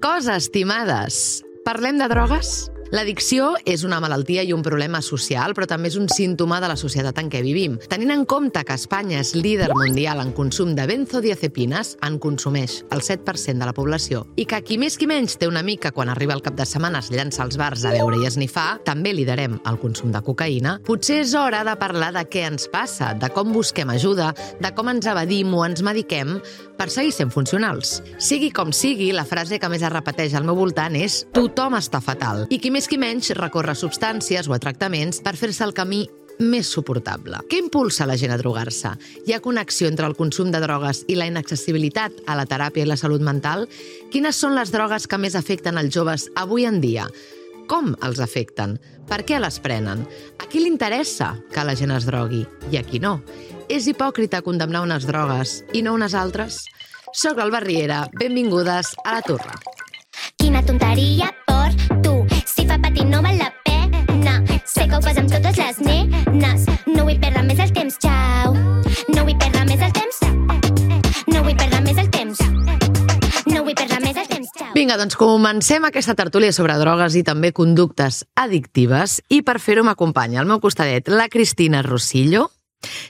cosa, estimades. Parlem de drogues? L'addicció és una malaltia i un problema social, però també és un símptoma de la societat en què vivim. Tenint en compte que Espanya és líder mundial en consum de benzodiazepines, en consumeix el 7% de la població, i que qui més qui menys té una mica quan arriba el cap de setmana es llança als bars a beure i a esnifar, també liderem el consum de cocaïna, potser és hora de parlar de què ens passa, de com busquem ajuda, de com ens evadim o ens mediquem per seguir sent funcionals. Sigui com sigui, la frase que més es repeteix al meu voltant és «tothom està fatal», i qui més qui menys recorre a substàncies o a tractaments per fer-se el camí més suportable. Què impulsa la gent a drogar-se? Hi ha connexió entre el consum de drogues i la inaccessibilitat a la teràpia i la salut mental? Quines són les drogues que més afecten els joves avui en dia? Com els afecten? Per què les prenen? A qui li interessa que la gent es drogui i a qui no? És hipòcrita condemnar unes drogues i no unes altres? Soc l'Alba Riera, benvingudes a La Turra. Quina tonteria per tu, si fa patir no val la pena. Sé que ho fas amb totes les nenes. No vull perdre més el temps, xau. No vull perdre més el temps. No vull perdre més el temps. No vull perdre més el temps, xau. Vinga, doncs comencem aquesta tertúlia sobre drogues i també conductes addictives, i per fer-ho m'acompanya al meu costadet la Cristina Rosillo,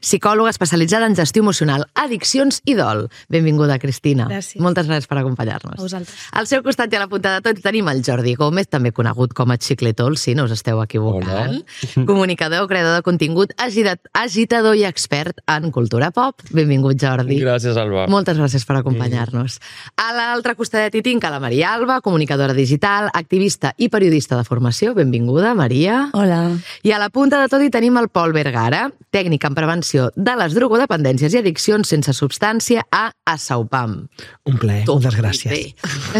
psicòloga especialitzada en gestió emocional, addiccions i dol. Benvinguda, Cristina. Gràcies. Moltes gràcies per acompanyar-nos. A vosaltres. Al seu costat i a la punta de tot tenim el Jordi Gómez, també conegut com a Xicletol, si no us esteu equivocant. Hola. Comunicador, creador de contingut, agitador i expert en cultura pop. Benvingut, Jordi. Gràcies, Alba. Moltes gràcies per acompanyar-nos. A l'altre costadet hi tinc a la Maria Alba, comunicadora digital, activista i periodista de formació. Benvinguda, Maria. Hola. I a la punta de tot hi tenim el Pol Vergara, tècnic en prevenció de les drogodependències i addiccions sense substància a Asaupam. Un plaer, moltes gràcies.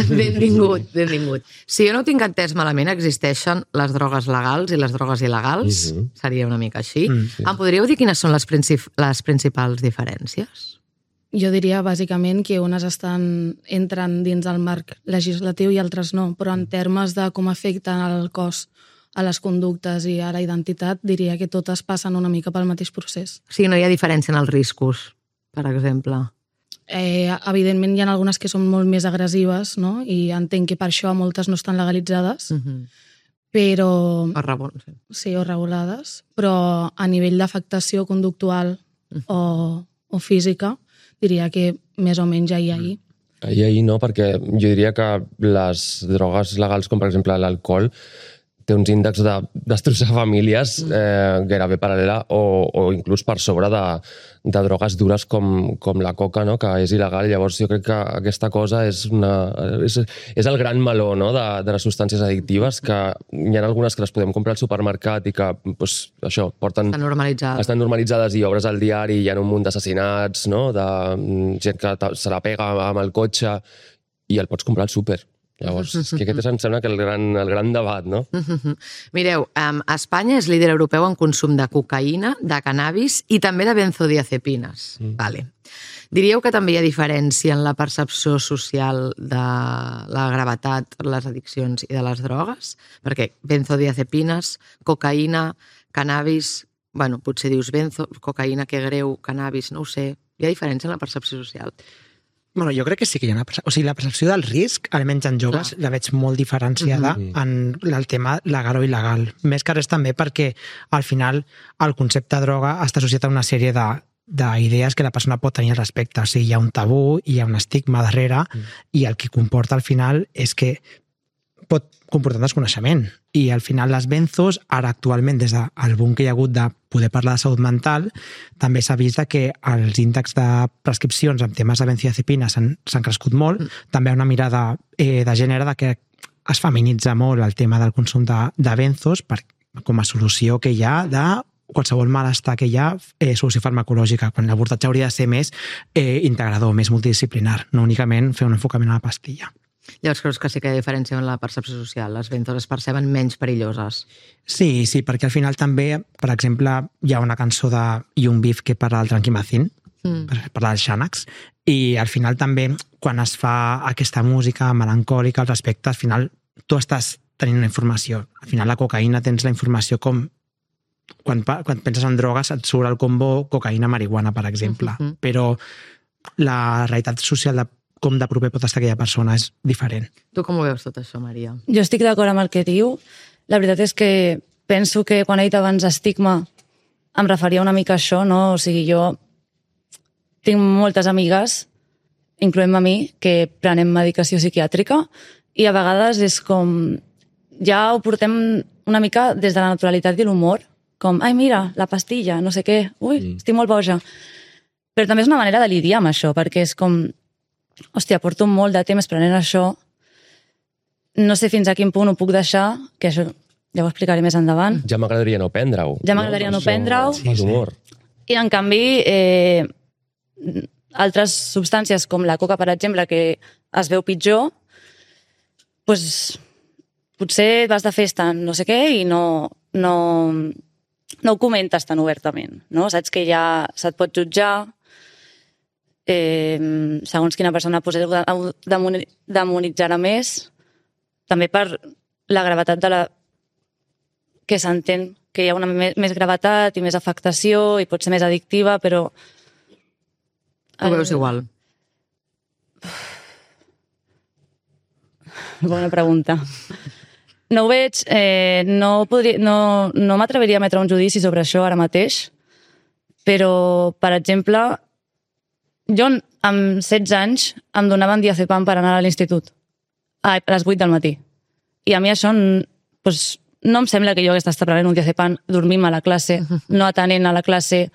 Benvingut, benvingut. Si jo no ho tinc entès malament, existeixen les drogues legals i les drogues il·legals? Seria una mica així. Sí. Em podríeu dir quines són les principals diferències? Jo diria, bàsicament, que unes entren dins el marc legislatiu i altres no, però en termes de com afecten el cos, a les conductes i a la identitat, diria que totes passen una mica pel mateix procés. O sigui, no hi ha diferència en els riscos, per exemple? Evidentment, hi ha algunes que són molt més agressives, no? I entenc que per això moltes no estan legalitzades, però... Sí, o regulades, però a nivell d'afectació conductual o física, diria que més o menys ja hi ha ahir. Ahir no, perquè jo diria que les drogues legals, com per exemple l'alcohol, té uns índexs de destrossar famílies gairebé paral·lela o inclús per sobre de drogues dures com la coca, no? Que és il·legal. Llavors jo crec que aquesta cosa és el gran meló, no? de les substàncies addictives, que hi ha algunes que les podem comprar al supermercat i que pues, això porten... Estan normalitzades i obres al diari, hi ha un munt d'assassinats, no? De gent que se la pega amb el cotxe i el pots comprar al súper. Llavors, que aquest em sembla que el gran debat, no? Mireu, Espanya és líder europeu en consum de cocaïna, de cannabis i també de benzodiazepines. Vale. Diríeu que també hi ha diferència en la percepció social de la gravetat, les addiccions i de les drogues? Perquè benzodiazepines, cocaïna, cannabis... Bueno, potser dius cocaïna, que greu, cannabis, no ho sé. Hi ha diferència en la percepció social? Bueno, jo crec que sí que hi ha una percepció. O sigui, la percepció del risc, almenys en joves, la veig molt diferenciada en el tema legal o il·legal. Més que res també perquè, al final, el concepte de droga està associat a una sèrie d'idees que la persona pot tenir al respecte. O sigui, hi ha un tabú, hi ha un estigma darrere, i el que comporta al final és que pot comportar desconeixement. I al final les benzos, ara actualment, des del boom que hi ha hagut de poder parlar de salut mental, també s'ha vist que els índexs de prescripcions en temes de benzodiazepines s'han crescut molt. També hi ha una mirada de gènere que es feminitza molt el tema del consum de benzos com a solució que hi ha de qualsevol malestar que hi ha, solució farmacològica, quan l'abordatge hauria de ser més integrador, més multidisciplinar, no únicament fer un enfocament a la pastilla. Llavors creus que sí que hi ha diferència en la percepció social? Les benzos es perceben menys perilloses? Sí, perquè al final també, per exemple, hi ha una cançó de Young Beef que parla del tranquimacin, parla del Xanax, i al final també, quan es fa aquesta música melancòlica al respecte, al final tu estàs tenint una informació. Al final la cocaïna tens la informació com... Quan penses en drogues et surt el combo cocaïna-marihuana, per exemple. Però la realitat social com de proper pot estar aquella persona, és diferent. Tu com ho veus tot això, Maria? Jo estic d'acord amb el que diu. La veritat és que penso que quan he dit abans estigma em referia una mica a això, no? O sigui, jo tinc moltes amigues, incloent-me a mi, que prenem medicació psiquiàtrica i a vegades és com... Ja ho portem una mica des de la naturalitat i l'humor, com, ai, mira, la pastilla, no sé què, ui, estic molt boja. Però també és una manera de lidiar amb això, perquè és com, hòstia, porto molt de temps prenent això, no sé fins a quin punt ho puc deixar, que això ja ho explicaré més endavant. Ja m'agradaria no prendre-ho. Ja m'agradaria no prendre-ho. Sí. I, en canvi, altres substàncies, com la coca, per exemple, que es veu pitjor, doncs potser vas de festa no sé què i no ho comentes tan obertament, no? Saps que ja se't pot jutjar, segons quina persona demonitzarà més, també per la gravetat de la que s'entén que hi ha una més gravetat i més afectació i pot ser més addictiva, però... Ho veus igual? Bona pregunta. No ho veig, no m'atreviria a emetre un judici sobre això ara mateix, però, per exemple, jo amb 16 anys em donaven diazepam per anar a l'institut, a les 8 del matí. I a mi això doncs, no em sembla que jo hagués d'estar prenent un diazepam dormint a la classe, no atenent a la classe,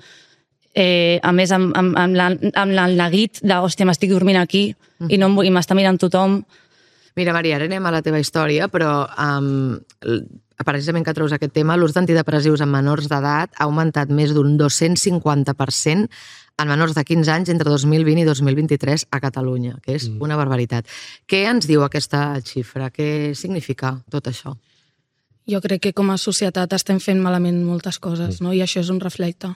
a més amb el neguit de, hòstia, m'estic dormint aquí i m'està mirant tothom. Mira, Maria, ara anem a la teva història, però precisament que treus aquest tema, l'ús d'antidepressius en menors d'edat ha augmentat més d'un 250% en menors de 15 anys entre 2020 i 2023 a Catalunya, que és una barbaritat. Què ens diu aquesta xifra? Què significa tot això? Jo crec que com a societat estem fent malament moltes coses, no? I això és un reflecte.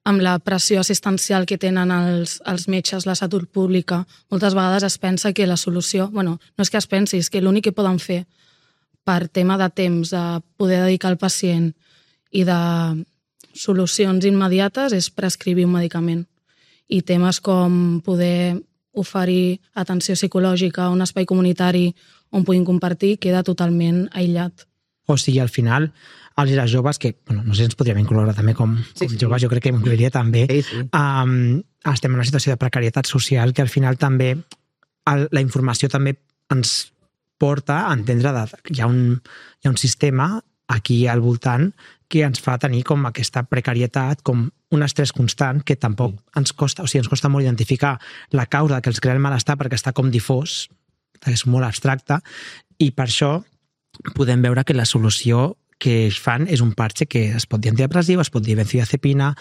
Amb la pressió assistencial que tenen els metges, la salut pública, moltes vegades es pensa que la solució... Bueno, no és que es pensi, és que l'únic que poden fer per tema de temps, de poder dedicar al pacient i de solucions immediates és prescriure un medicament. I temes com poder oferir atenció psicològica, un espai comunitari on puguin compartir, queda totalment aïllat. O sigui, al final, els i les joves, que no sé si ens podríem incloure també com joves, jo crec que m'inclouria també, estem en una situació de precarietat social que al final també la informació també ens porta a entendre que hi ha un sistema aquí al voltant que ens fa tenir com aquesta precarietat, com un estrès constant que tampoc ens costa, o sigui, ens costa molt identificar la causa que els crea el malestar perquè està com difós, és molt abstracte, i per això podem veure que la solució que es fan és un parche que es pot dir antidepressiu, es pot dir benzodiazepina,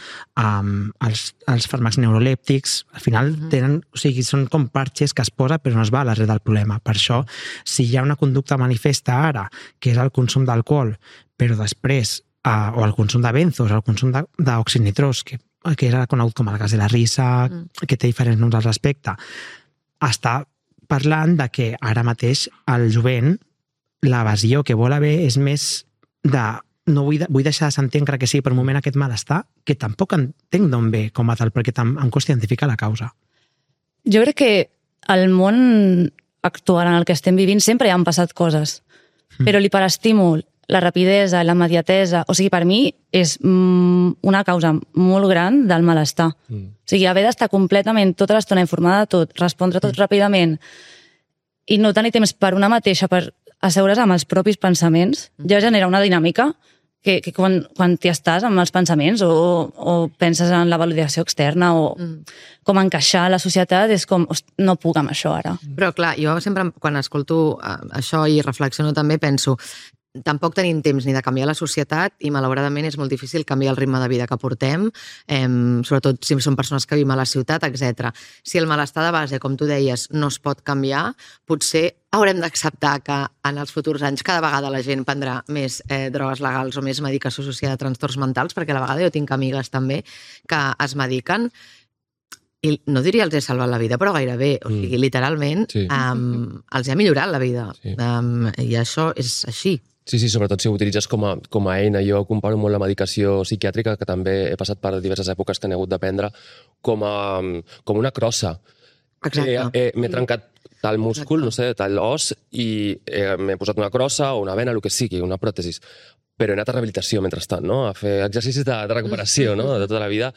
els fàrmacs neurolèptics, al final tenen, o sigui, són com parches que es posa però no es va a l'arrel del problema. Per això, si hi ha una conducta manifesta ara, que és el consum d'alcohol, però després, o el consum de benzos, el consum d'oxinitrós, que era conegut com el gas de la risa, que té diferents noms al respecte, està parlant de que ara mateix el jovent l'evasió que vol haver és més de no vull deixar de sentir encara que sigui per un moment aquest malestar, que tampoc entenc d'on ve com a tal, perquè em costa identificar la causa. Jo crec que al món actual en el que estem vivint sempre han passat coses, però l'hiperestímul, la rapidesa, la immediatesa, o sigui, per mi és una causa molt gran del malestar. O sigui, haver d'estar completament tota l'estona informada de tot, respondre tot ràpidament i no tenir temps per una mateixa, per asseure's amb els propis pensaments, ja genera una dinàmica que quan t'hi estàs amb els pensaments o penses en la validació externa o com encaixar a la societat, és com, no puc amb això ara. Però clar, jo sempre quan escolto això i reflexiono també penso, tampoc tenim temps ni de canviar la societat i malauradament és molt difícil canviar el ritme de vida que portem, sobretot si són persones que vivim a la ciutat, etc. Si el malestar de base, com tu deies, no es pot canviar, potser haurem d'acceptar que en els futurs anys cada vegada la gent prendrà més drogues legals o més medicació associada a trastorns mentals, perquè a la vegada jo tinc amigues també que es mediquen i no diria els he salvat la vida, però gairebé, o sigui, literalment els ha millorat la vida i això és així. Sí, sobretot si ho utilitzes com a eina. Jo comparo molt la medicació psiquiàtrica, que també he passat per diverses èpoques que n'he hagut de prendre, com una crossa. Exacte. M'he trencat tal múscul, no sé, tal os, i m'he posat una crossa o una vena, el que sigui, una pròtesis. Però he anat a rehabilitació mentrestant, no? A fer exercicis de recuperació, no? De tota la vida.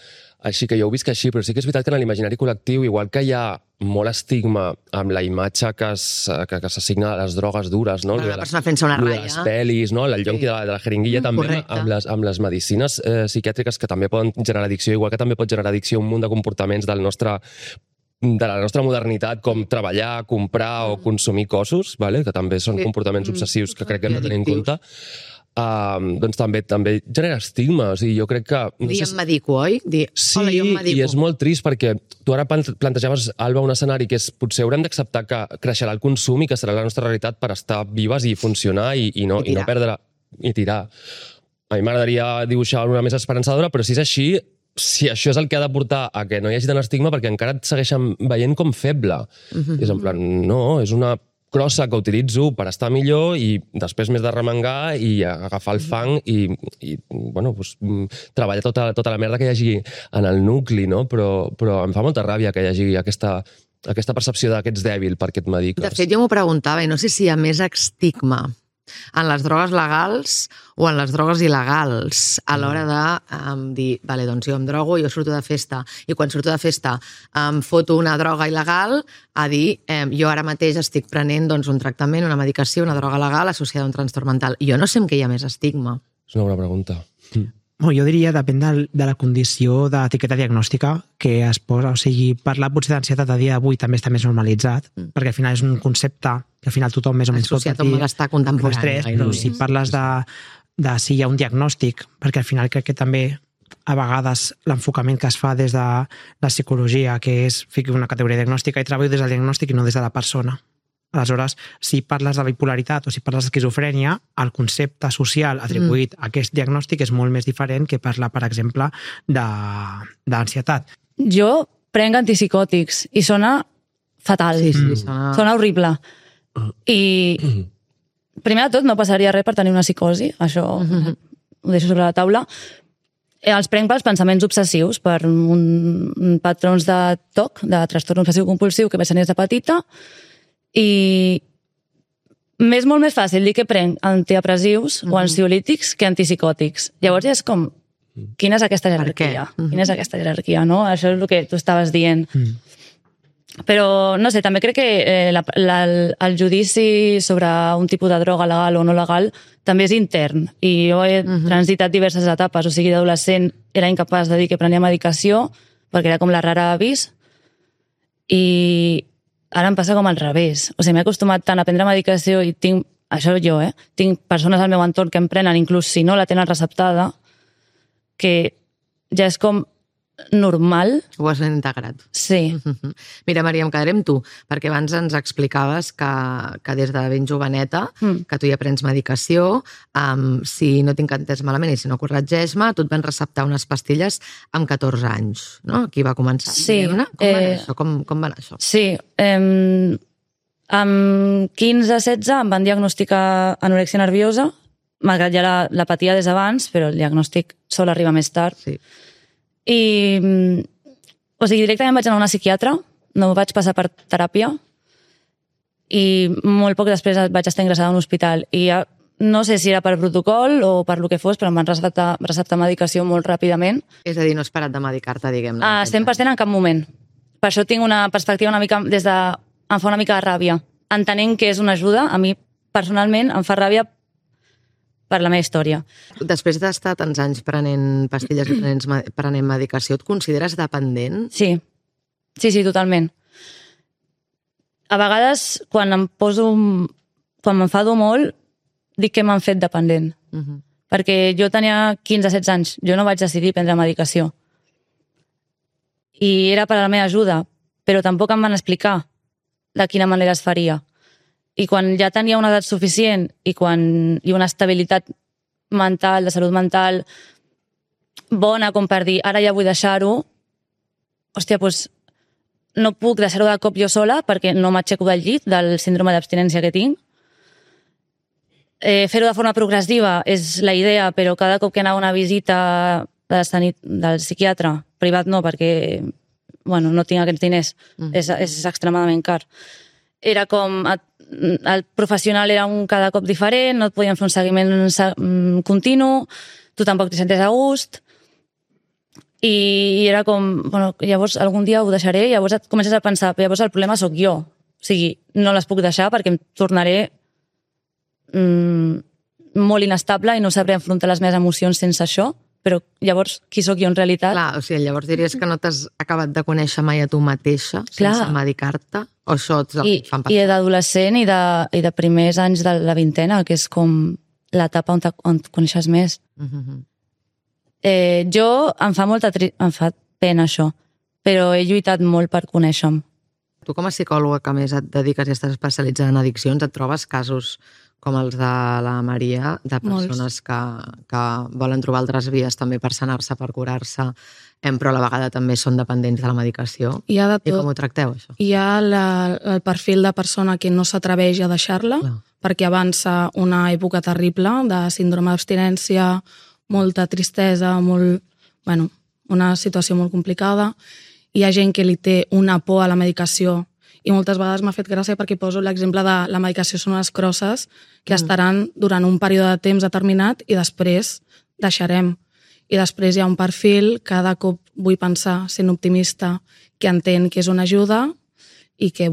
Així que jo ho visc així, però sí que és veritat que en l'imaginari col·lectiu, igual que hi ha molt estigma amb la imatge que s'assigna a les drogues dures, no? La persona fent-se una ratlla. De les pel·lis, no? El llonqui de la jeringuilla, també amb les medicines psiquiàtriques que també poden generar addicció, igual que també pot generar addicció un munt de comportaments de la nostra modernitat, com treballar, comprar o consumir cossos, que també són comportaments obsessius que crec que hem de tenir en compte. Doncs també genera estigma. O sigui, jo crec que... Em medico, oi? Sí, i és molt trist perquè tu ara plantejaves, Alba, un escenari que és potser haurem d'acceptar que creixerà el consum i que serà la nostra realitat per estar vives i funcionar i no perdre i tirar. A mi m'agradaria dibuixar una més esperançadora, però si és així, si això és el que ha de portar a que no hi hagi tant estigma, perquè encara et segueixen veient com feble. És en plan, no, és una crossa que utilitzo per estar millor i després m'he de remengar i agafar el fang i treballar tota la merda que hi hagi en el nucli, no? Però em fa molta ràbia que hi hagi aquesta percepció que ets dèbil perquè et mediques. De fet, jo m'ho preguntava i no sé si hi ha més estigma en les drogues legals o en les drogues il·legals a l'hora de dir, vale, doncs jo em drogo, jo surto de festa i quan surto de festa em foto una droga il·legal a dir, jo ara mateix estic prenent un tractament, una medicació, una droga legal associada a un trastorn mental. Jo no sé en què hi ha més estigma. És una bona pregunta. Jo diria, depèn de la condició d'etiqueta diagnòstica que es posa. O sigui, parlar potser d'ansietat a dia d'avui també està més normalitzat, perquè al final és un concepte que al final tothom més o menys pot patir. Associat a un malestar contemporani. Però si parles de si hi ha un diagnòstic, perquè al final crec que també a vegades l'enfocament que es fa des de la psicologia, que és ficar una categoria diagnòstica i treballo des del diagnòstic i no des de la persona. Aleshores, si parles de bipolaritat o si parles d'esquizofrènia, el concepte social atribuït a aquest diagnòstic és molt més diferent que parlar, per exemple, d'ansietat. Jo prenc antipsicòtics i sona fatal. Sí, sona horrible. I primer de tot no passaria res per tenir una psicosi, això ho deixo sobre la taula. Els prenc pels pensaments obsessius, per un patrons de TOC, de trastorn obsessiu compulsiu, que vaig tenir des de petita, i m'és molt més fàcil dir que prenc antidepressius o ansiolítics que antipsicòtics. Llavors ja és com, quina és aquesta jerarquia? Quina és aquesta jerarquia, no? Això és el que tu estaves dient. Però, no sé, també crec que el judici sobre un tipus de droga legal o no legal també és intern. I jo he transitat diverses etapes. O sigui, d'adolescent era incapaç de dir que prenia medicació perquè era com la rara avis. I ara em passa com al revés. O sigui, m'he acostumat tant a prendre medicació i tinc, això jo, tinc persones al meu entorn que em prenen, inclús si no la tenen receptada, que ja és com normal. Ho has integrat. Sí. Mira, Maria, em quedaré amb tu, perquè abans ens explicaves que des de ben joveneta, que tu ja prens medicació, si no tinc entès malament i si no corregeix-me, tu et van receptar unes pastilles amb 14 anys, no? Aquí va començar. Sí. Com va anar això? Sí. Amb 15-16 em van diagnosticar anorèxia nerviosa, malgrat ja la patia des d'abans, però el diagnòstic sol arribar més tard. Sí. I, o sigui, directament vaig anar a una psiquiatra, no vaig passar per teràpia i molt poc després vaig estar ingressada a un hospital i ja, no sé si era per protocol o per lo que fos, però em van receptar medicació molt ràpidament. És a dir, no has parat de medicar-te, diguem-ne. 100% en cap moment. Per això tinc una perspectiva una mica em fa una mica de ràbia. Entenent que és una ajuda, a mi personalment em fa ràbia per la meva història. Després d'estar tants anys prenent pastilles i prenent medicació, et consideres dependent? Sí, totalment. A vegades, quan m'enfado molt, dic que m'han fet dependent. Perquè jo tenia 15-16 anys, jo no vaig decidir prendre medicació. I era per a la meva ajuda, però tampoc em van explicar de quina manera es faria. I quan ja tenia una edat suficient i una estabilitat mental, de salut mental, bona com per dir, ara ja vull deixar-ho, hòstia, doncs no puc deixar-ho de cop jo sola perquè no m'aixeco del llit del síndrome d'abstinència que tinc. Fer-ho de forma progressiva és la idea, però cada cop que anava a una visita del psiquiatre, privat no, perquè no tinc aquests diners, és extremadament car. era com... El professional era cada cop diferent, no et podien fer un seguiment continu, tu tampoc t'hi senties a gust, i era com, bueno, llavors algun dia ho deixaré, i llavors et comences a pensar, llavors el problema sóc jo. O sigui, no les puc deixar perquè em tornaré molt inestable i no sabré enfrontar les meves emocions sense això, però llavors qui sóc jo en realitat? Clar, o sigui, llavors diries que no t'has acabat de conèixer mai a tu mateixa sense medicar-te? O això ets el que et fan passar? I d'adolescent i de primers anys de la vintena, que és com l'etapa on et coneixes més. Jo em fa pena això, però he lluitat molt per conèixer-me. Tu com a psicòloga que més et dediques i estàs especialitzada en addiccions, et trobes casos com els de la Maria, de persones que volen trobar altres vies també per sanar-se, per curar-se, però a la vegada també són dependents de la medicació? Hi ha de tot. I com ho tracteu, això? Hi ha el perfil de persona que no s'atreveix a deixar-la, perquè avança una època terrible de síndrome d'abstinència, molta tristesa, una situació molt complicada. Hi ha gent que li té una por a la medicació i moltes vegades m'ha fet gràcia perquè poso l'exemple de la medicació són unes crosses que estaran durant un període de temps determinat i després deixarem. I després hi ha un perfil, cada cop vull pensar, sent optimista, que entén que és una ajuda i que,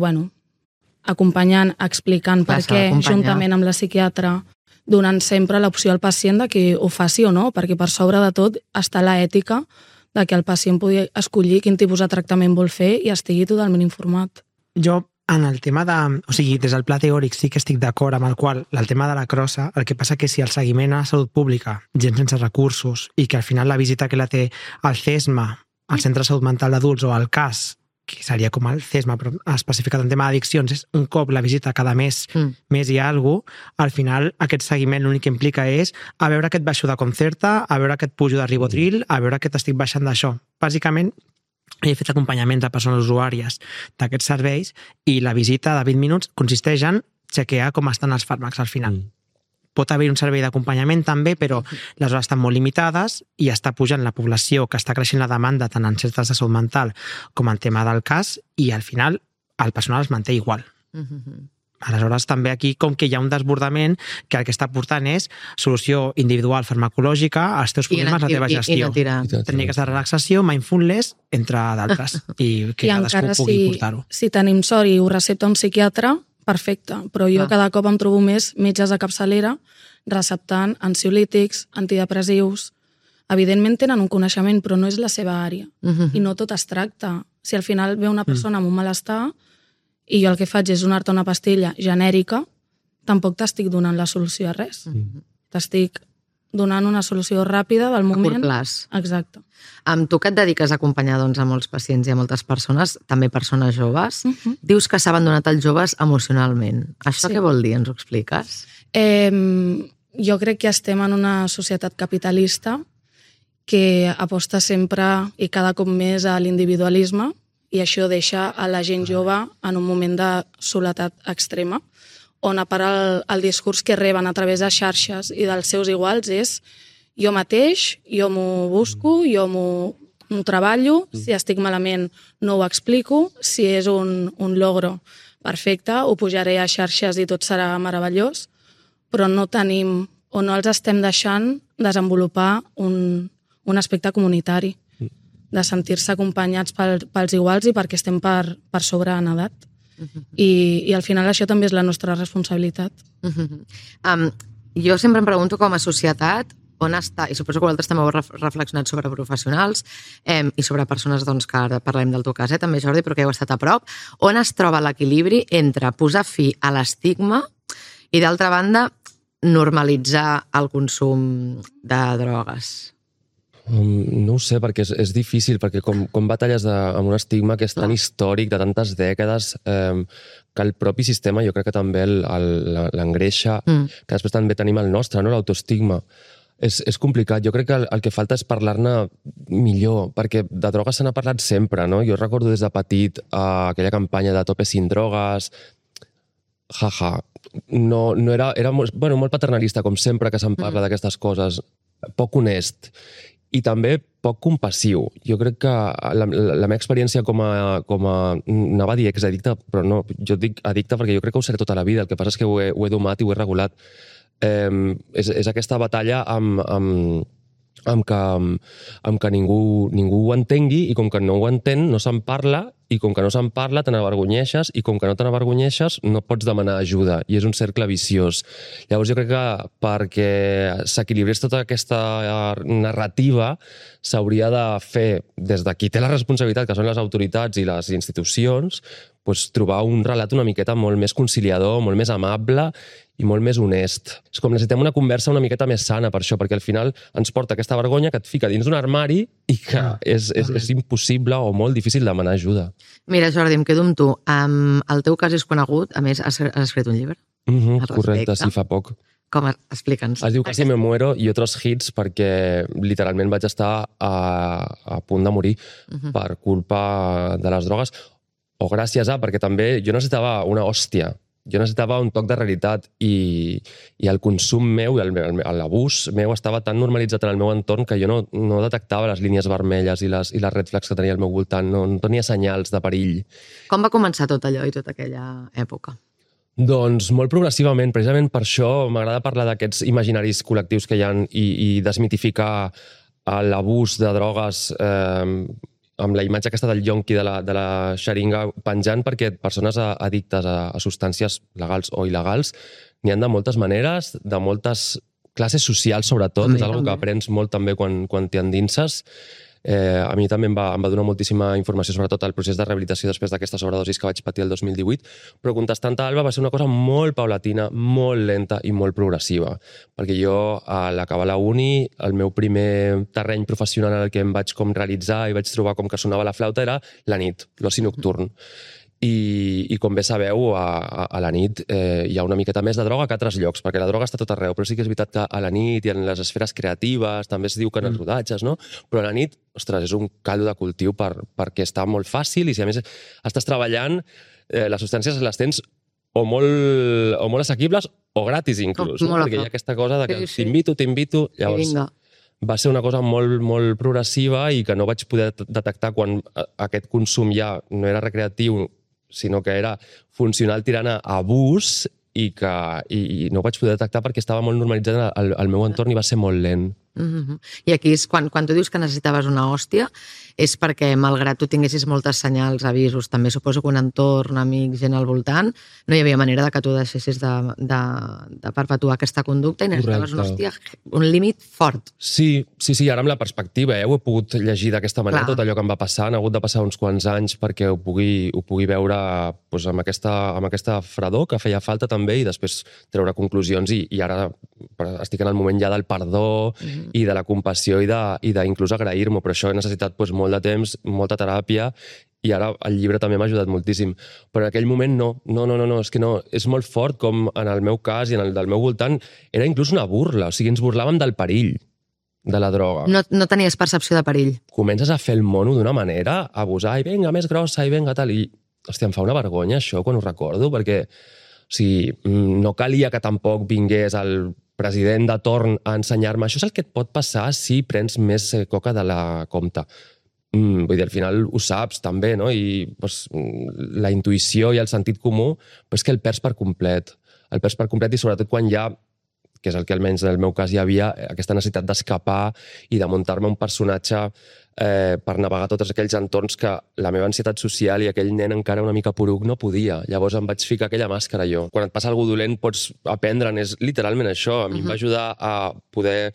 acompanyant, explicant per què, juntament amb la psiquiatra, donant sempre l'opció al pacient de que ho faci o no, perquè per sobre de tot està l'ètica de que el pacient pugui escollir quin tipus de tractament vol fer i estigui totalment informat. Jo, en el tema de... O sigui, des del pla teòric sí que estic d'acord amb el qual el tema de la crossa, el que passa que si el seguiment a la salut pública, gent sense recursos, i que al final la visita que la té el CESMA, el Centre de Salut Mental d'Adults, o el CAS, que seria com el CESMA, però especificat en tema d'addiccions, és un cop la visita cada mes i alguna cosa, al final aquest seguiment l'únic que implica és a veure que et baixo de Concerta, a veure que et pujo de Ribotril, a veure que t'estic baixant d'això. Bàsicament, he fet acompanyaments a persones usuàries d'aquests serveis i la visita de 20 minuts consisteix en chequear com estan els fàrmacs al final. Pot haver un servei d'acompanyament també, però les hores estan molt limitades i està pujant la població, que està creixent la demanda tant en centres de salut mental com en tema del CAS, i al final el personal es manté igual. Aleshores, també aquí, com que hi ha un desbordament, que el que està portant és solució individual farmacològica als teus problemes, la teva gestió. Tècniques de relaxació, mindfulness, entre d'altres. I que cadascú pugui portar-ho. Si tenim sort i ho recepta un psiquiatre, perfecte. Però jo cada cop em trobo més metges de capçalera receptant ansiolítics, antidepressius. Evidentment tenen un coneixement, però no és la seva àrea. I no tot es tracta. Si al final ve una persona amb un malestar i jo el que faig és donar-te una pastilla genèrica, tampoc t'estic donant la solució a res. T'estic donant una solució ràpida del moment. A curt plaç. Exacte. Tu que et dediques a acompanyar a molts pacients i a moltes persones, també persones joves, dius que s'ha abandonat els joves emocionalment. Això què vol dir? Ens ho expliques? Jo crec que estem en una societat capitalista que aposta sempre i cada cop més a l'individualisme, i això deixa a la gent jove en un moment de soledat extrema, on a part el discurs que reben a través de xarxes i dels seus iguals és jo mateix, jo m'ho busco, jo m'ho treballo, si estic malament no ho explico, si és un logro perfecte, ho pujaré a xarxes i tot serà meravellós, però no tenim o no els estem deixant desenvolupar un aspecte comunitari, de sentir-se acompanyats pels iguals i perquè estem per sobre en edat. I al final això també és la nostra responsabilitat. Jo sempre em pregunto com a societat on està, i suposo que vosaltres també heu reflexionat sobre professionals i sobre persones que ara parlem del teu cas, també Jordi, però que heu estat a prop, on es troba l'equilibri entre posar fi a l'estigma i d'altra banda normalitzar el consum de drogues? No ho sé, perquè és difícil, perquè com batalles amb un estigma que és tan històric, de tantes dècades, que el propi sistema jo crec que també l'engreixa, que després també tenim el nostre, l'autoestigma. És complicat. Jo crec que el que falta és parlar-ne millor, perquè de drogues se n'ha parlat sempre, no? Jo recordo des de petit aquella campanya de Tope sin drogues, no era molt paternalista, com sempre que se'n parla d'aquestes coses, poc honest. i també poc compassiu. Jo crec que la meva experiència com a anava a dir exaddicte, però no, jo dic addicte perquè jo crec que ho seré tota la vida, el que passa és que ho he domat i ho he regulat. És aquesta batalla amb que ningú ho entengui, i com que no ho entén no se'n parla, i com que no se'n parla te n'avergonyeixes, i com que no te n'avergonyeixes no pots demanar ajuda, i és un cercle viciós. Llavors jo crec que perquè s'equilibrés tota aquesta narrativa s'hauria de fer, des de qui té la responsabilitat, que són les autoritats i les institucions, trobar un relat una miqueta molt més conciliador, molt més amable i molt més honest. És com necessitem una conversa una miqueta més sana per això, perquè al final ens porta aquesta vergonya que et fica dins d'un armari i que és impossible o molt difícil demanar ajuda. Mira, Jordi, em quedo amb tu. El teu cas és conegut, a més, has escrit un llibre. Correcte, sí, fa poc. Com? Explica'ns. Es diu Casi me muero i otros hits perquè literalment vaig estar a punt de morir per culpa de les drogues, o gràcies a, perquè també jo necessitava una hòstia, jo necessitava un toc de realitat i el consum meu i l'abús meu estava tan normalitzat en el meu entorn que jo no detectava les línies vermelles i les red flags que tenia al meu voltant, no tenia senyals de perill. Com va començar tot allò i tota aquella època? Doncs molt progressivament, precisament per això m'agrada parlar d'aquests imaginaris col·lectius que hi ha i desmitificar l'abús de drogues amb la imatge aquesta del yonqui de la xeringa penjant, perquè persones addictes a substàncies legals o il·legals n'hi ha de moltes maneres, de moltes classes socials sobretot, és una cosa que aprens molt també quan t'hi endinses. A mi també em va donar moltíssima informació sobretot el procés de rehabilitació després d'aquesta sobredosis que vaig patir el 2018, però contestant a Alba va ser una cosa molt paulatina, molt lenta i molt progressiva, perquè jo a l'acabar la uni, el meu primer terreny professional en el que em vaig com realitzar i vaig trobar com que sonava la flauta era la nit, l'oci nocturn. I com bé sabeu, a la nit hi ha una miqueta més de droga que a altres llocs, perquè la droga està tot arreu, però sí que és veritat que a la nit i en les esferes creatives, també es diu que en els rodatges, no? Però a la nit, ostres, és un caldo de cultiu perquè està molt fàcil i si a més estàs treballant, les substàncies les tens o molt assequibles o gratis inclús, no? Perquè hi ha aquesta cosa de que t'invito, llavors va ser una cosa molt, molt progressiva i que no vaig poder detectar quan aquest consum ja no era recreatiu, sinó que era funcional tirant a abús i no ho vaig poder detectar perquè estava molt normalitzat al meu entorn i va ser molt lent. I aquí és quan tu dius que necessitaves una hòstia, és perquè malgrat tu tinguessis moltes senyals, avisos, també suposo que un entorn, amics, gent al voltant, no hi havia manera que tu deixessis de perpetuar aquesta conducta i necessitaves una hòstia, un límit fort. Sí, ara amb la perspectiva, ho he pogut llegir d'aquesta manera, tot allò que em va passar, han hagut de passar uns quants anys perquè ho pugui veure amb aquesta fredor que feia falta també i després treure conclusions i ara estic en el moment ja del perdó i de la compassió i d'inclús agrair-m'ho, però això he necessitat molt de temps, molta teràpia i ara el llibre també m'ha ajudat moltíssim. Però en aquell moment no, és que no, és molt fort com en el meu cas i en el del meu voltant era inclús una burla, o sigui, ens burlàvem del perill de la droga. No tenies percepció de perill. Comences a fer el mono d'una manera, a abusar, i vinga, més grossa, i vinga, tal, i hòstia, em fa una vergonya això quan ho recordo, perquè o sigui, no calia que tampoc vingués el president de torn a ensenyar-me. Això és el que et pot passar si prens més coca de la compta. Vull dir, al final ho saps també, no? I la intuïció i el sentit comú, però és que el perds per complet. El perds per complet i sobretot quan hi ha, que és el que almenys en el meu cas hi havia, aquesta necessitat d'escapar i de muntar-me un personatge per navegar tots aquells entorns que la meva ansietat social i aquell nen encara una mica poruc no podia. Llavors em vaig ficar aquella màscara jo. Quan et passa alguna dolent pots aprendre'n, és literalment això. A mi em va ajudar a poder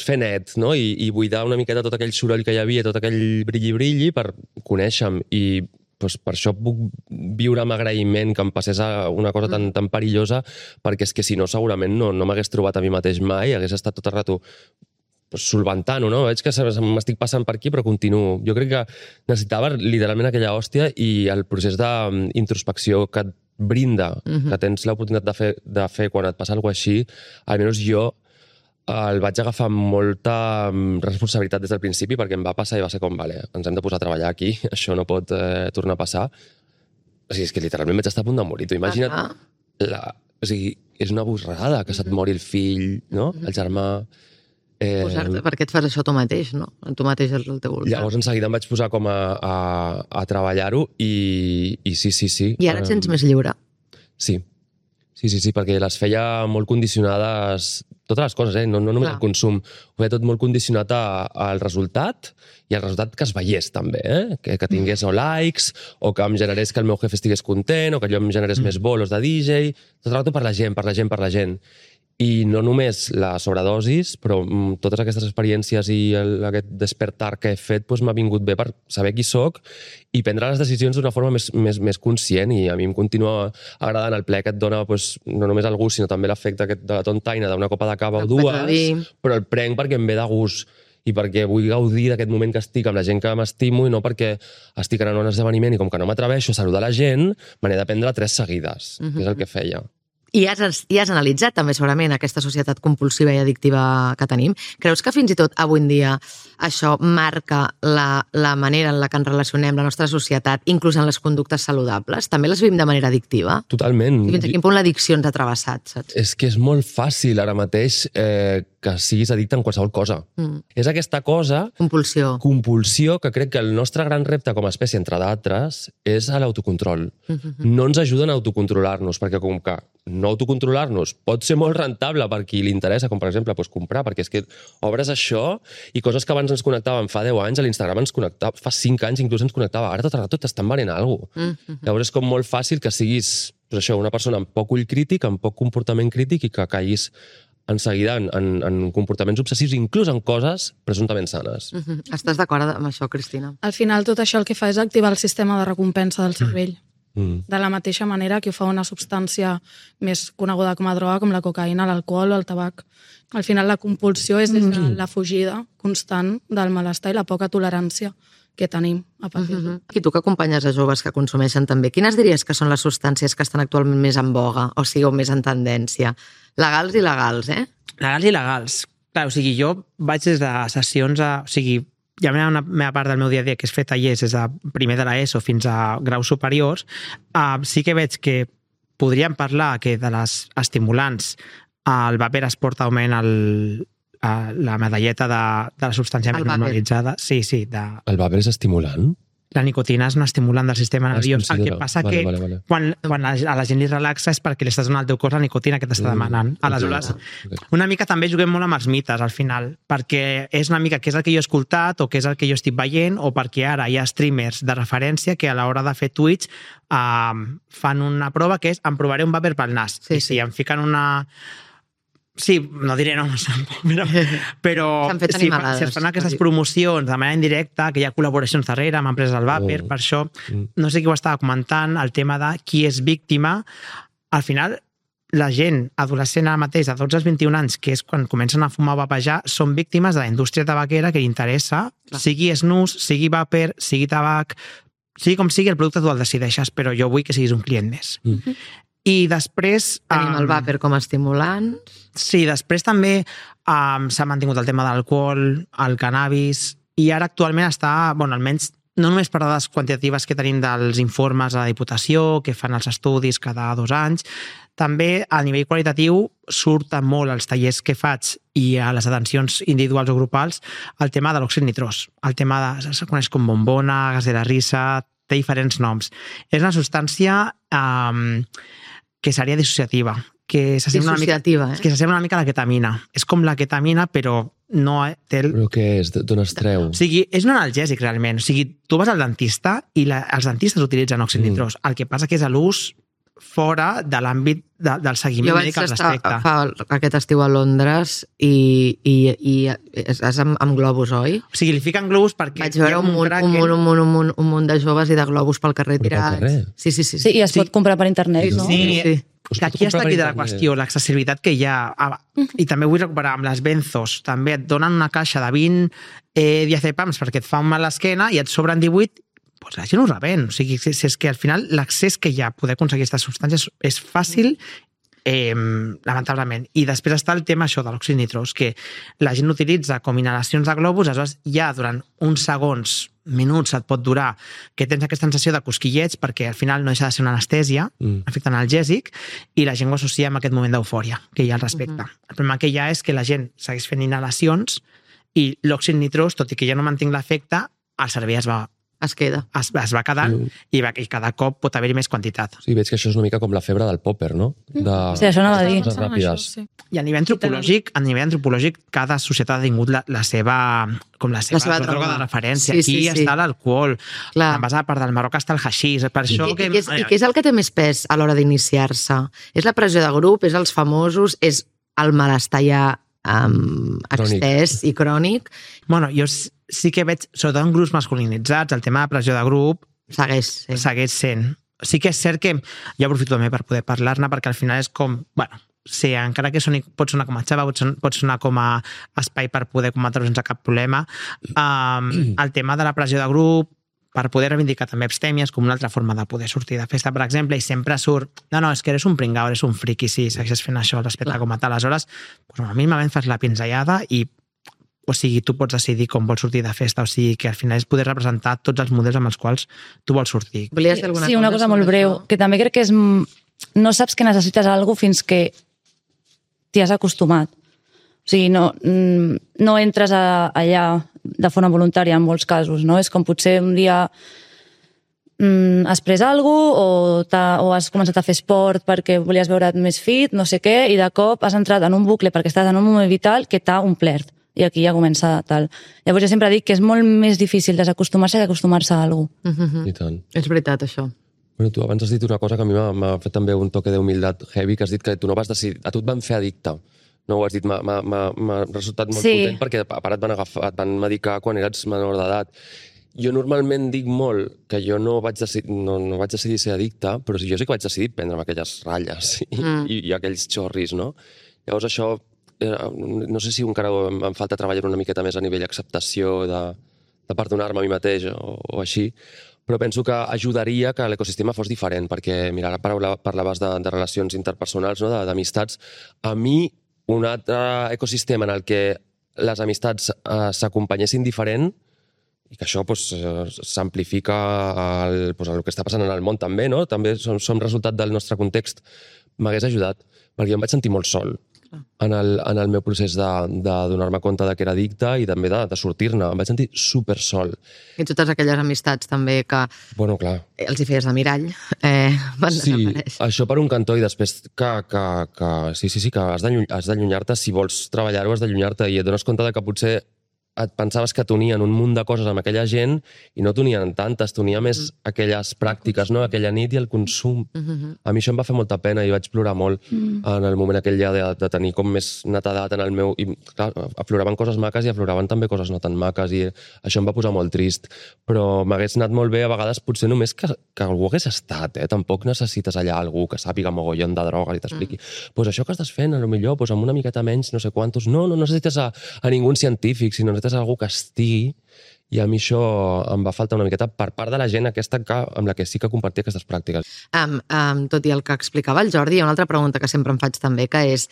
fer net, no? I buidar una miqueta tot aquell soroll que hi havia, tot aquell brilli-brilli per conèixer-me. I per això puc viure amb agraïment que em passés una cosa tan perillosa, perquè és que si no segurament no m'hagués trobat a mi mateix mai, hagués estat tot el rato solventant-ho, no? Veig que m'estic passant per aquí, però continuo. Jo crec que necessitava literalment aquella hòstia i el procés d'introspecció que et brinda, que tens l'oportunitat de fer quan et passa alguna cosa així, almenys jo el vaig agafar amb molta responsabilitat des del principi perquè em va passar i va ser com, vale, ens hem de posar a treballar aquí, això no pot tornar a passar. O sigui, és que literalment vaig estar a punt de morir. Tu imagina't, o sigui, és una borrada que se't mori el fill, no? El germà. Per què et fas això tu mateix, no? Tu mateix és el teu voltant. Llavors, en seguida em vaig posar com a treballar-ho i sí. I ara et sents més lliure? Sí, perquè les feia molt condicionades, totes les coses, no només el consum, ho feia tot molt condicionat al resultat i al resultat que es veiés també, que tingués o likes, o que em generés que el meu jefe estigués content, o que allò em generés més bolos de DJ, tot el rato per la gent. I no només la sobredosis, però totes aquestes experiències i aquest despertar que he fet m'ha vingut bé per saber qui soc i prendre les decisions d'una forma més conscient, i a mi em continua agradant el ple que et dona no només el gust, sinó també l'efecte de la tontaina d'una copa de cava o dues, però el prenc perquè em ve de gust i perquè vull gaudir d'aquest moment que estic amb la gent que m'estimo i no perquè estic anant a un esdeveniment i com que no m'atreveixo a saludar la gent, me n'he de prendre 3 seguides, que és el que feia. I has analitzat també segurament aquesta societat compulsiva i addictiva que tenim. Creus que fins i tot avui en dia això marca la manera en la que ens relacionem, la nostra societat, inclús en les conductes saludables? També les vivim de manera addictiva? Totalment. I fins a quin punt l'addicció ens ha travessat, saps? És que és molt fàcil ara mateix que siguis addicte en qualsevol cosa. És aquesta cosa... Compulsió, que crec que el nostre gran repte com a espècie, entre d'altres, és l'autocontrol. No ens ajuden a autocontrolar-nos, perquè com que no autocontrolar-nos pot ser molt rentable per qui li interessa, com per exemple comprar, perquè és que obres això i coses que abans ens connectaven fa 10 anys, a l'Instagram ens connectava, fa 5 anys inclús ens connectava, ara tot el rato t'estan venent alguna cosa. Llavors és com molt fàcil que siguis una persona amb poc ull crític, amb poc comportament crític i que caiguis en seguida en comportaments obsessius, inclús en coses presumptament sanes. Estàs d'acord amb això, Cristina? Al final tot això el que fa és activar el sistema de recompensa del cervell. De la mateixa manera que ho fa una substància més coneguda com a droga, com la cocaïna, l'alcohol o el tabac. Al final la compulsió és la fugida constant del malestar i la poca tolerància que tenim a patir-ho. I tu que acompanyes a joves que consumeixen també, quines diries que són les substàncies que estan actualment més en boga, o sigui, més en tendència? Legals i legals, Legals i legals. Clar, o sigui, jo vaig des de sessions hi ha una meva part del meu dia a dia que és fer tallers des de primer de l'ESO fins a graus superiors. Sí que veig que podríem parlar que de les estimulants el vapor es porta augment la medalleta de la substància més normalitzada. Sí. El vapor és estimulant? La nicotina és un estimulant del sistema nerviós. El que passa que quan a la gent li relaxa és perquè li estàs donant al teu cos la nicotina que t'està demanant. Aleshores, una mica també juguem molt amb els mites al final, perquè és una mica què és el que jo he escoltat o què és el que jo estic veient, o perquè ara hi ha streamers de referència que a l'hora de fer Twitch fan una prova que és em provaré un vapor pel nas. I si em fiquen una... Sí, no diré noms tampoc, però si es fan aquestes promocions de manera indirecta, que hi ha col·laboracions darrere amb empreses del vapor, per això, no sé qui ho estava comentant, el tema de qui és víctima. Al final, la gent adolescent ara mateix, de 12 als 21 anys, que és quan comencen a fumar o vapejar, són víctimes de la indústria tabaquera que li interessa, sigui snus, sigui vapor, sigui tabac, sigui com sigui, el producte tu el decideixes, però jo vull que siguis un client més. I després... Tenim el vapor com a estimulant. Sí, després també s'ha mantingut el tema de l'alcohol, el cannabis, i ara actualment està, almenys no només per dades quantitatives que tenim dels informes a la Diputació, que fan els estudis cada 2 anys, també a nivell qualitatiu surten molt els tallers que faig i a les atencions individuals o grupals el tema de l'òxid nitrós. El tema se coneix com bombona, gas de la risa, té diferents noms. És una substància que seria dissociativa. Que s'assembla una mica a la ketamina. És com la ketamina, però no té... Però què és? D'on es treu? O sigui, és un analgèsic, realment. O sigui, tu vas al dentista i els dentistes utilitzen òxid nitrós. El que passa que és a l'ús fora de l'àmbit del seguiment mèdic al respecte. Jo vaig estar aquest estiu a Londres i és amb globus, oi? O sigui, li fiquen globus perquè... Vaig veure un munt de joves i de per pel carrer tirats. Sí, i es pot comprar per internet, no? Sí. Aquí està aquí de la qüestió, l'accessibilitat que hi ha. I també vull recuperar amb les benzos. També et donen una caixa de 20 diazepams perquè et fa un mal a l'esquena i et sobren 18, doncs la gent ho revèn. O sigui, és que al final l'accés que hi ha a poder aconseguir aquestes substàncies és fàcil, lamentablement. I després està el tema això de l'òxid nitrós, que la gent utilitza com inhalacions de globus, aleshores ja durant uns segons minuts et pot durar, que tens aquesta sensació de cosquillets perquè al final no deixa de ser una anestèsia, efecte analgèsic, i la gent ho associa amb aquest moment d'eufòria que hi ha al respecte. El problema que hi ha és que la gent segueix fent inhalacions i l'òxid nitrós, tot i que ja no mantinc l'efecte, el cervell es queda. Es va quedant i cada cop pot haver-hi més quantitat. Sí, veig que això és una mica com la febre del popper, no? Sí, això anava a dir. Ràpides. I a nivell antropològic, cada societat ha tingut la seva droga de referència. Aquí està l'alcohol. En base a part del Marroc està el haixís. I què és el que té més pes a l'hora d'iniciar-se? És la pressió de grup? És els famosos? És el malestar ja extès i crònic? Bueno, jo sí que veig, sobretot en grups masculinitzats, el tema de pressió de grup segueix sent. Sí que és cert que jo aprofito també per poder parlar-ne, perquè al final és com, sí, encara que pot sonar com a xava, pot sonar com a espai per poder combatre sense cap problema, el tema de la pressió de grup, per poder reivindicar també abstèmies com una altra forma de poder sortir de festa, per exemple, i sempre surt, no, és que eres un pringao, eres un friqui, si segueixes fent això respecte com a tal. Aleshores, mínimament fas la pinzellada i tu pots decidir com vols sortir de festa, o sigui que al final és poder representar tots els models amb els quals tu vols sortir. Sí, una cosa molt breu, que també crec que és no saps que necessites alguna cosa fins que t'hi has acostumat. O sigui, no entres allà de forma voluntària en molts casos, no? És com potser un dia has pres alguna cosa o has començat a fer esport perquè volies veure't més fit, no sé què, i de cop has entrat en un bucle perquè estàs en un moment vital que t'ha omplert. I aquí ja comença tal. Llavors jo sempre dic que és molt més difícil desacostumar-se que acostumar-se a alguna cosa. I tant. És veritat, això. Bueno, tu abans has dit una cosa que a mi m'ha fet també un toque d'humilitat heavy, que has dit que tu no vas decidir, a tu et van fer addicte. No ho has dit, m'ha resultat molt potent perquè a part et van medicar quan eres menor d'edat. Jo normalment dic molt que jo no vaig decidir ser addicte, però jo sí que vaig decidir prendre'm aquelles ratlles i aquells xorris, no? Llavors això, no sé si encara em falta treballar una miqueta més a nivell d'acceptació, de perdonar-me a mi mateix o així, però penso que ajudaria que l'ecosistema fos diferent, perquè, mira, ara parlaves de relacions interpersonals, no? d'amistats. A mi, un altre ecosistema en el que les amistats s'acompanyessin diferent i que això s'amplifica el que està passant en el món també, no? També som resultat del nostre context, m'hagués ajudat, perquè jo em vaig sentir molt sol en el meu procés de donar-me compte que era addicte i també de sortir-ne. Em vaig sentir super sol. I totes aquelles amistats també que els hi feies de mirall van desaparèixer. Sí, això per un cantó, i després que has d'allunyar-te, si vols treballar-ho has d'allunyar-te, i et dones compte que potser et pensaves que t'unien un munt de coses amb aquella gent i no t'unien tantes, t'unia més aquelles pràctiques, no? Aquella nit i el consum. A mi això em va fer molta pena i vaig plorar molt en el moment aquell ja de tenir com més netedat en el meu... I clar, afloraven coses maques i afloraven també coses no tan maques i això em va posar molt trist. Però m'hagués anat molt bé a vegades potser només que algú hagués estat, Tampoc necessites allà algú que sàpiga mogollon de drogues i t'expliqui. Doncs això que estàs fent, potser amb una miqueta menys, no sé quantos... No necessites a ningú científic, sinó necessites algú que estigui, i a mi això em va faltar una miqueta per part de la gent aquesta amb la que sí que compartia aquestes pràctiques. Tot i el que explicava el Jordi, hi ha una altra pregunta que sempre em faig també, que és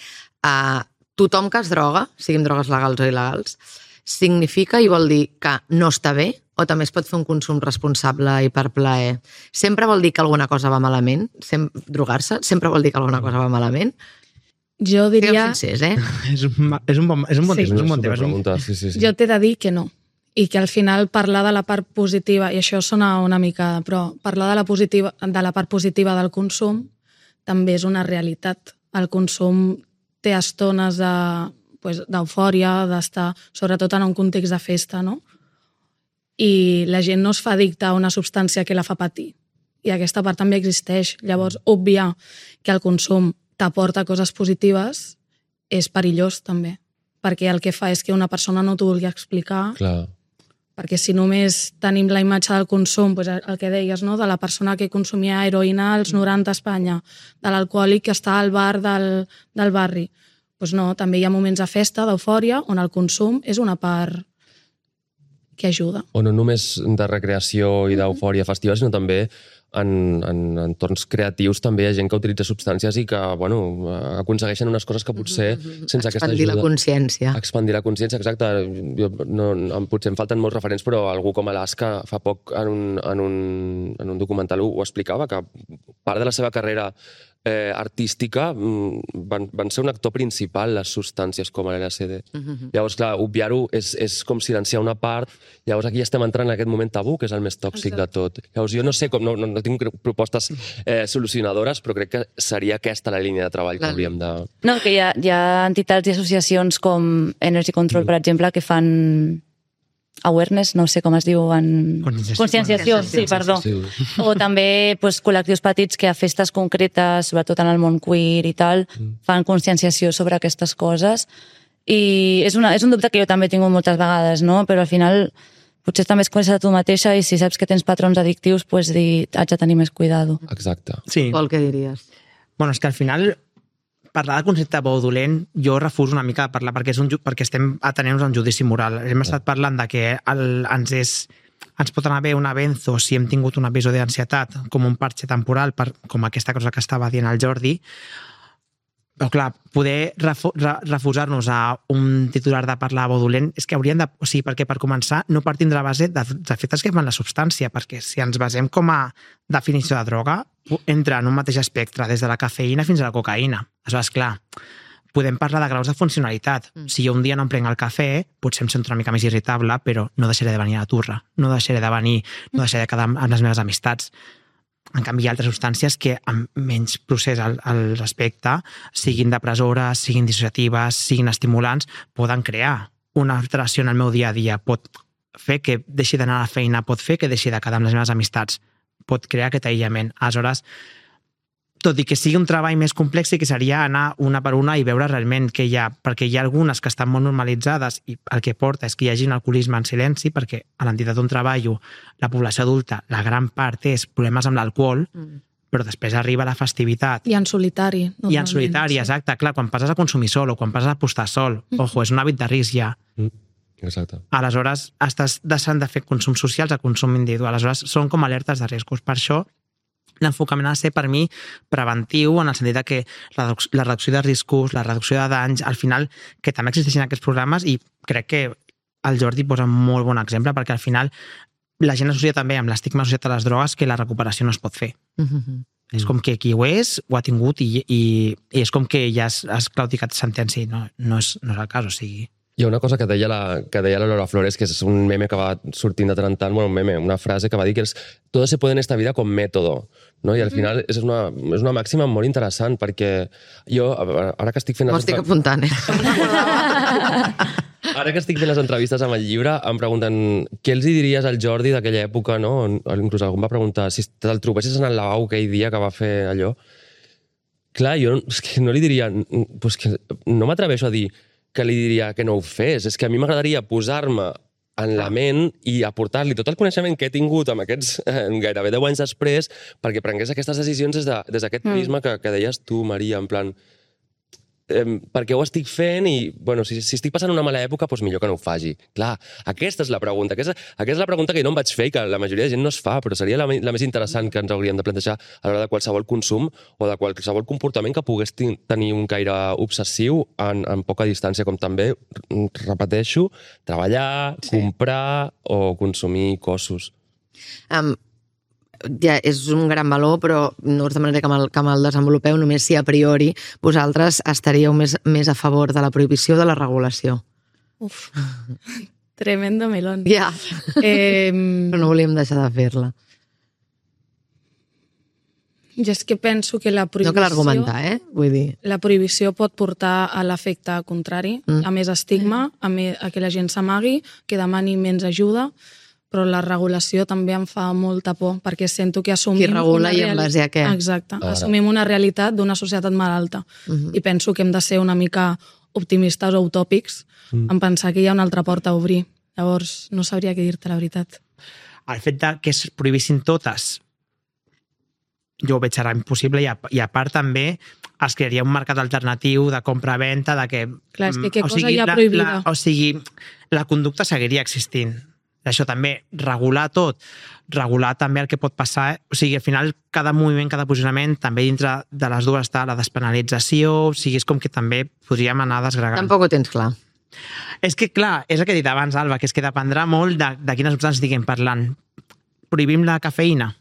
tothom que es droga, siguin drogues legals o il·legals, significa i vol dir que no està bé o també es pot fer un consum responsable i per plaer? Sempre vol dir que alguna cosa va malament? Drogar-se sempre vol dir que alguna cosa va malament? Jo diria... És un bon tema. Jo t'he de dir que no. I que al final parlar de la part positiva, i això sona una mica, però parlar de la part positiva del consum també és una realitat. El consum té estones d'eufòria, d'estar, sobretot en un context de festa, no? I la gent no es fa addicta a una substància que la fa patir. I aquesta part també existeix. Llavors, obviar que el consum t'aporta coses positives és perillós també, perquè el que fa és que una persona no t'ho vulgui explicar. Clar. Perquè si només tenim la imatge del consum, el que deies, no? De la persona que consumia heroïna als 90 a Espanya, de l'alcohòlic que està al bar del barri, doncs no, també hi ha moments de festa, d'eufòria, on el consum és una part que ajuda. O no només de recreació i d'eufòria festiva, sinó també en entorns creatius també hi ha gent que utilitza substàncies i que, bueno, aconsegueixen unes coses que potser sense aquesta ajuda... Expandir la consciència. Expandir la consciència, exacte. Potser em falten molts referents, però algú com Alaska fa poc en un documental ho explicava, que part de la seva carrera artística van ser un actor principal les substàncies com l'LSD. Llavors, clar, obviar-ho és com silenciar una part. Llavors aquí estem entrant en aquest moment tabú, que és el més tòxic de tot. Llavors jo no sé com, no tinc propostes solucionadores, però crec que seria aquesta la línia de treball que hauríem de... No, que hi ha entitats i associacions com Energy Control, per exemple, que fan awareness, no sé com es diu en... Conscienciació, sí, perdó. Sí. O també col·lectius petits que a festes concretes, sobretot en el món queer i tal, fan conscienciació sobre aquestes coses. I és un dubte que jo també he tingut moltes vegades, no? Però al final potser també es coneixes a tu mateixa i si saps que tens patrons addictius, dir, haig de tenir més cuidado. Exacte. Sí. Pol, què diries? Bueno, és que al final parlar del concepte bo o dolent jo refuso una mica de parlar perquè estem atenent-nos a un judici moral. Hem estat parlant de que ens pot anar bé una benzo si hem tingut un episodi d'ansietat com un parxe temporal, com aquesta cosa que estava dient el Jordi, però clar, poder refusar-nos a un titular de parlar bo o dolent és que hauríem de... O sigui, perquè per començar no partim de la base dels efectes que fan la substància, perquè si ens basem com a definició de droga, entra en un mateix espectre, des de la cafeïna fins a la cocaïna. Aleshores, clar, podem parlar de graus de funcionalitat. Si jo un dia no em prenc el cafè, potser em sento una mica més irritable, però no deixaré de venir a la turra, no deixaré de quedar amb les meves amistats. En canvi, hi ha altres substàncies que amb menys procés al respecte, siguin depressores, siguin dissociatives, siguin estimulants, poden crear una alteració en el meu dia a dia. Pot fer que deixi d'anar a la feina, pot fer que deixi de quedar amb les meves amistats, pot crear aquest aïllament. Aleshores, tot i que sigui un treball més complex, sí que seria anar una per una i veure realment què hi ha, perquè hi ha algunes que estan molt normalitzades i el que porta és que hi hagi un alcoholisme en silenci, perquè a l'entitat on treballo, la població adulta, la gran part és problemes amb l'alcohol, però després arriba la festivitat. I en solitari. I en solitari, exacte. Clar, quan passes a consumir sol o quan passes a apostar sol, ojo, és un hàbit de risc ja. Exacte. Aleshores, estàs deixant de fer consums socials a consum individual. Aleshores, són com alertes de riscos. Per això, l'enfocament ha de ser, per mi, preventiu, en el sentit que la reducció de riscos, la reducció de danys, al final, que també existeixen aquests programes, i crec que el Jordi posa un molt bon exemple, perquè al final la gent associa també amb l'estigma associat a les drogues que la recuperació no es pot fer. És com que qui ho és, ho ha tingut, i és com que ja has claudicat sentència, i no és el cas, o sigui... Hi ha una cosa que deia la Lola Flores, que és un meme que va sortint de tant en tant, bueno, un meme, una frase que va dir que és «todo se puede en esta vida con método», no? I al final és una màxima molt interessant, perquè jo, ara que estic fent... M'ho estic apuntant, Ara que estic fent les entrevistes amb el llibre, em pregunten què els diries al Jordi d'aquella època, no? Inclús algú em va preguntar si te'l trobessis en el lavabo aquell dia que va fer allò. Clar, jo és que no li diria... Pues que no m'atreveixo a dir que li diria que no ho fes. És que a mi m'agradaria posar-me en la ment i aportar-li tot el coneixement que he tingut amb aquests gairebé 10 anys després perquè prengués aquestes decisions des d'aquest prisma que deies tu, Maria, en plan... perquè ho estic fent i, bueno, si estic passant una mala època, doncs millor que no ho faci. Clar, aquesta és la pregunta. Aquesta és la pregunta que jo no em vaig fer i que la majoria de gent no es fa, però seria la més interessant que ens hauríem de plantejar a l'hora de qualsevol consum o de qualsevol comportament que pogués tenir un caire obsessiu en poca distància, com també, repeteixo, treballar, comprar o consumir cossos. Ja és un gran valor, però no us demanaré que me'l desenvolupeu, només si a priori vosaltres estaríeu més a favor de la prohibició o de la regulació. Uf, tremendo melón. Ja, però no volíem deixar de fer-la. Jo és que penso que la prohibició... No cal argumentar, vull dir... La prohibició pot portar a l'efecte contrari, a més estigma, a que la gent s'amagui, que demani menys ajuda, però la regulació també em fa molta por, perquè sento que assumim... Qui regula i en base a què? Exacte. Assumim una realitat d'una societat malalta. I penso que hem de ser una mica optimistes o utòpics en pensar que hi ha una altra porta a obrir. Llavors, no sabria què dir-te, la veritat. El fet que es prohibissin totes, jo ho veig ara impossible, i a part també es crearia un mercat alternatiu de compra-venta, de que... Clar, és que què cosa hi ha prohibida? O sigui, la conducta seguiria existint. Això també, regular tot, regular també el que pot passar, o sigui, al final cada moviment, cada posicionament, també dintre de les dues està la despenalització, o sigui, és com que també podríem anar desgregant. Tampoc ho tens clar. És que, clar, és el que he dit abans, Alba, que és que dependrà molt de quines substàncies estiguem parlant. Prohibim la cafeïna?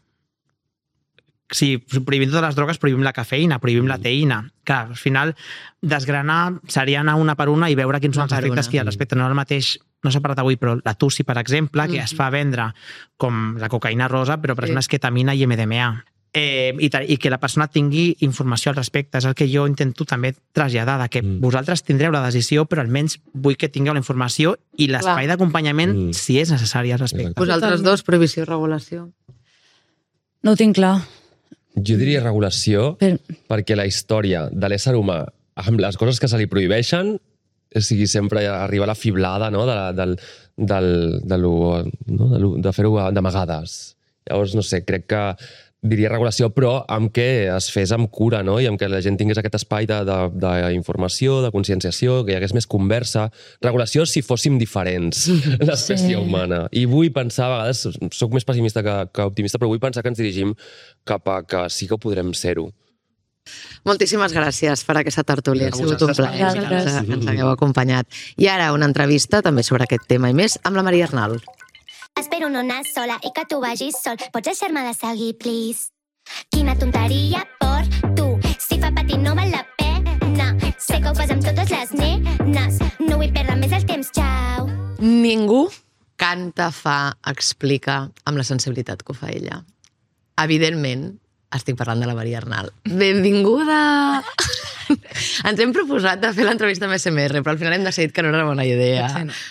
Si prohibim totes les drogues, prohibim la cafeïna, prohibim la teïna. Clar, al final, desgranar seria anar una per una i veure quins són els efectes que hi ha al respecte. No el mateix, no s'ha parlat avui, però la tussi, per exemple, que es fa vendre com la cocaïna rosa, però per exemple és ketamina i MDMA. I que la persona tingui informació al respecte. És el que jo intento també traslladar, que vosaltres tindreu la decisió, però almenys vull que tingueu la informació i l'espai d'acompanyament si és necessari al respecte. Vosaltres dos, prohibició i regulació. No ho tinc clar. Jo diria regulació perquè la història de l'ésser humà amb les coses que se li prohibeixen, o sigui, sempre arriba la fiblada, no? De fer-ho d'amagades. Llavors, no sé, crec que diria regulació, però amb què es fes amb cura, no? I amb què la gent tingués aquest espai d'informació, de conscienciació, que hi hagués més conversa. Regulació si fóssim diferents, l'espècie humana. I vull pensar, a vegades, soc més pessimista que optimista, però vull pensar que ens dirigim cap a que sí que podrem ser-ho. Moltíssimes gràcies per aquesta tertúlia. Ha sigut un plaer que ens hagueu acompanyat. I ara una entrevista també sobre aquest tema i més amb la Maria Arnal. Espero no anar sola i que tu vagis sol. Pots deixar-me de seguir, please? Quina tonteria per tu. Si fa patir no val la pena. Sé que ho fas amb totes les nenes. No vull perdre més el temps, xau. Ningú canta, fa, explica amb la sensibilitat que ho fa ella. Evidentment, estic parlant de la Maria Arnal. Benvinguda! Ens hem proposat de fer l'entrevista amb SMR, però al final hem decidit que no era una bona idea.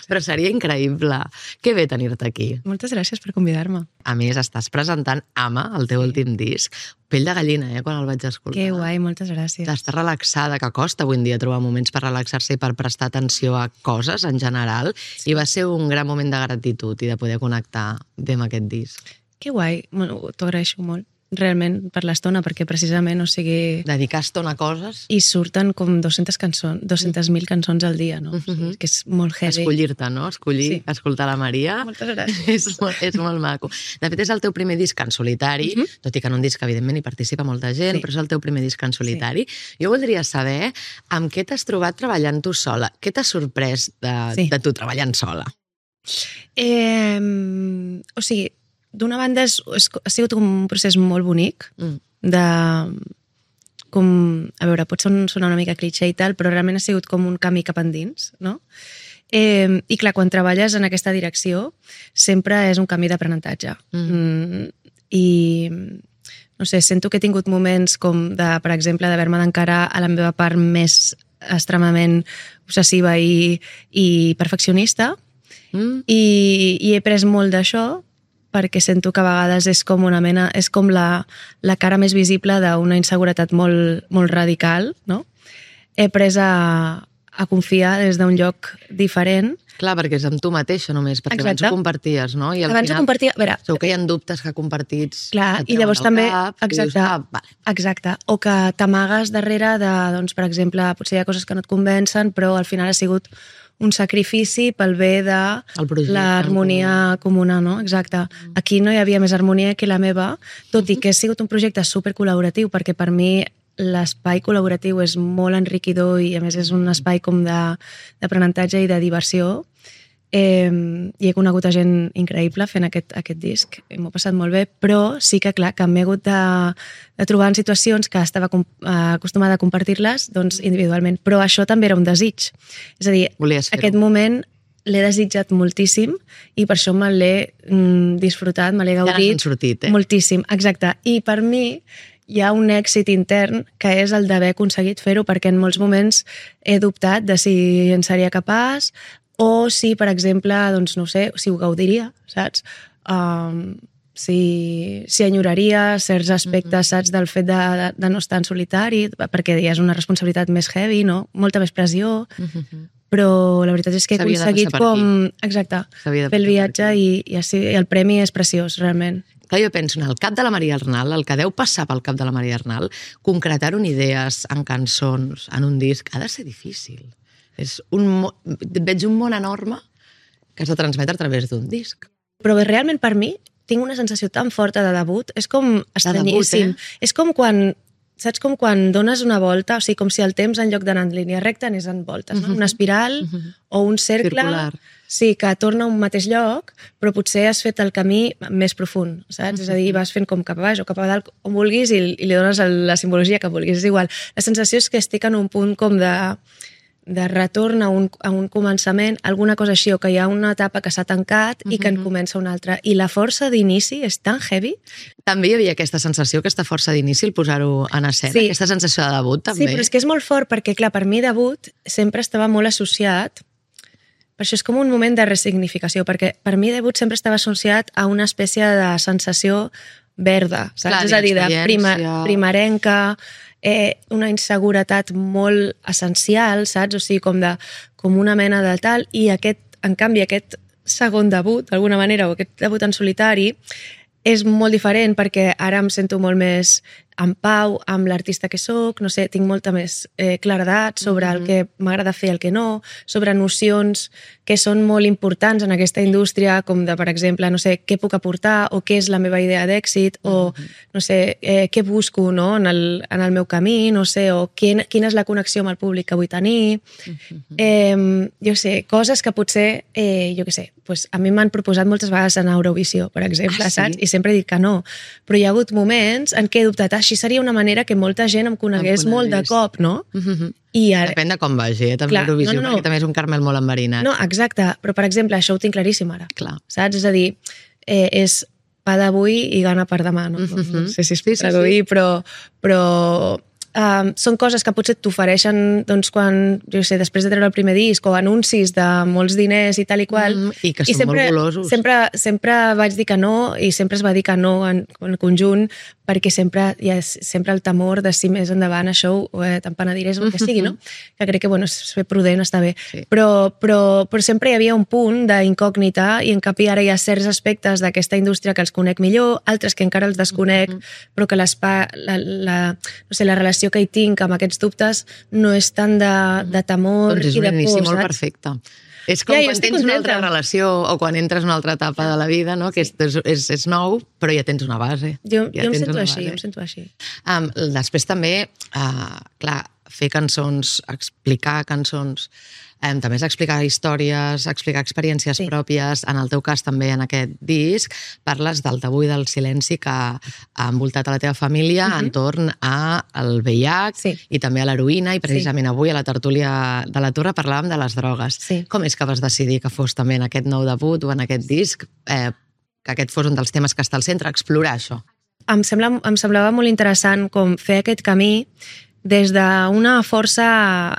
Però seria increïble. Que bé tenir-te aquí. Moltes gràcies per convidar-me. A més, estàs presentant Ama, el teu últim disc. Pell de gallina, quan el vaig escoltar. Que guai, moltes gràcies. Estàs relaxada, que costa avui en dia trobar moments per relaxar-se i per prestar atenció a coses en general. I va ser un gran moment de gratitud i de poder connectar bé amb aquest disc. Que guai, t'ho agraeixo molt. Realment, per l'estona, perquè precisament, o sigui... Dedicar estona a coses... I surten com 200.000 cançons al dia, no? O sigui, que és molt heavy. Escollir-te, no? Escoltar la Maria. Moltes gràcies. És molt maco. De fet, és el teu primer disc en solitari, tot i que en un disc, evidentment, hi participa molta gent, però és el teu primer disc en solitari. Jo voldria saber amb què t'has trobat treballant tu sola. Què t'ha sorprès de tu treballant sola? O sigui, d'una banda ha sigut un procés molt bonic de... com, a veure, pot sonar una mica cliché i tal, però realment ha sigut com un camí cap endins, no? I clar, quan treballes en aquesta direcció sempre és un camí d'aprenentatge. I no sé, sento que he tingut moments com de, per exemple, d'haver-me d'encarar a la meva part més extremament obsessiva i perfeccionista, i he pres molt d'això perquè sento que a vegades és com una mena, és com la cara més visible d'una inseguretat molt radical, no? He pres a confiar des d'un lloc diferent. Clar, perquè és amb tu mateixa només, perquè abans ho comparties, no? I abans ho compartia, a veure... Segur que hi ha dubtes que compartits... Clar, i llavors també... Exacte, o que t'amagues darrere de, doncs, per exemple, potser hi ha coses que no et convencen, però al final ha sigut un sacrifici pel bé de l'harmonia comuna, no? Exacte. Aquí no hi havia més harmonia que la meva, tot i que ha sigut un projecte supercol·laboratiu, perquè per mi l'espai col·laboratiu és molt enriquidor i a més és un espai com d'aprenentatge i de diversió. I he conegut a gent increïble fent aquest disc, i m'ho he passat molt bé, però sí que clar, que m'he hagut de trobar en situacions que estava acostumada a compartir-les doncs, individualment, però això també era un desig. És a dir, aquest moment l'he desitjat moltíssim i per això me l'he disfrutat, me l'he gaudit moltíssim. Exacte. I per mi hi ha un èxit intern que és el d'haver aconseguit fer-ho, perquè en molts moments he dubtat de si en seria capaç o si, per exemple, doncs no sé, si ho gaudiria, saps? Si enyoraria certs aspectes, saps, del fet de no estar en solitari, perquè ja és una responsabilitat més heavy, no? Molta més pressió, però la veritat és que he aconseguit com... Exacte, fer el viatge i el premi és preciós, realment. Clar, jo penso en el cap de la Maria Arnal, el que deu passar pel cap de la Maria Arnal, concretar-ho en idees, en cançons, en un disc, ha de ser difícil. Veig un món enorme que has de transmetre a través d'un disc. Però realment per mi tinc una sensació tan forta de debut, és com estranyíssim. És com quan, saps, com quan dones una volta, o sigui, com si el temps en lloc d'anar en línia recta anés en voltes, no? Una espiral o un cercle, sí, que torna a un mateix lloc, però potser has fet el camí més profund, saps? És a dir, vas fent com cap a baix o cap a dalt, on vulguis, i li dones la simbologia que vulguis. És igual. La sensació és que estic en un punt com de retorn a un començament, alguna cosa així, o que hi ha una etapa que s'ha tancat i que en comença una altra. I la força d'inici és tan heavy. També hi havia aquesta sensació, aquesta força d'inici, el posar-ho en escena, sí. Aquesta sensació de debut, també. Sí, però és que és molt fort, perquè, clar, per mi debut sempre estava molt associat, per això és com un moment de resignificació, perquè per mi debut sempre estava associat a una espècie de sensació verda, saps? Clar, és a dir, de primerenca, una inseguretat molt essencial, saps? O sigui, com una mena de tal, i en canvi aquest segon debut, d'alguna manera, o aquest debut en solitari, és molt diferent perquè ara em sento molt més en pau amb l'artista que soc, no sé, tinc molta més claredat sobre el que m'agrada fer i el que no, sobre nocions que són molt importants en aquesta indústria, com de, per exemple, no sé, què puc aportar o què és la meva idea d'èxit o, no sé, què busco, no, en el meu camí, no sé, o quina és la connexió amb el públic que vull tenir. Jo sé, coses que potser, jo què sé, pues a mi m'han proposat moltes vegades en Eurovisió, per exemple, saps? I sempre he dit que no. Però hi ha hagut moments en què he dubtat, així seria una manera que molta gent em conegués molt de cop, no? I ara... Depèn de com vagi, també Eurovisió, perquè també és un caramel molt enverinat. No, exacte, però per exemple, això ho tinc claríssim ara. Clar. Saps? És a dir, és pa d'avui i gana per demà, no? No sé si es pot traduir, però són coses que potser t'ofereixen doncs, quan, jo sé, després de treure el primer disc o anuncis de molts diners i tal i qual. I que són molt golosos. Sempre vaig dir que no i sempre es va dir que no en conjunt perquè sempre hi ha sempre el temor de si més endavant això te'n penediràs o el que sigui, no? Que crec que, bueno, ser prudent està bé. Sí. Però sempre hi havia un punt d'incògnita i en canvi ara hi ha certs aspectes d'aquesta indústria que els conec millor, altres que encara els desconec, però que no sé, la relació que hi tinc amb aquests dubtes no és tant de temor i de por, saps? Doncs és un inici molt perfecte. És com quan tens una altra relació o quan entres en una altra etapa de la vida, no? Que és nou, però ja tens una base. Jo em sento així. Després també, clar, fer cançons, explicar cançons, també és explicar històries, explicar experiències pròpies. En el teu cas també, en aquest disc, parles del tabú i del silenci que ha envoltat a la teva família entorn al VIH i també a l'heroïna, i precisament avui a la tertúlia de la Torre parlàvem de les drogues. Com és que vas decidir que fos també en aquest nou debut o en aquest disc, que aquest fos un dels temes que està al centre, explorar això? Em semblava molt interessant com fer aquest camí des d'una força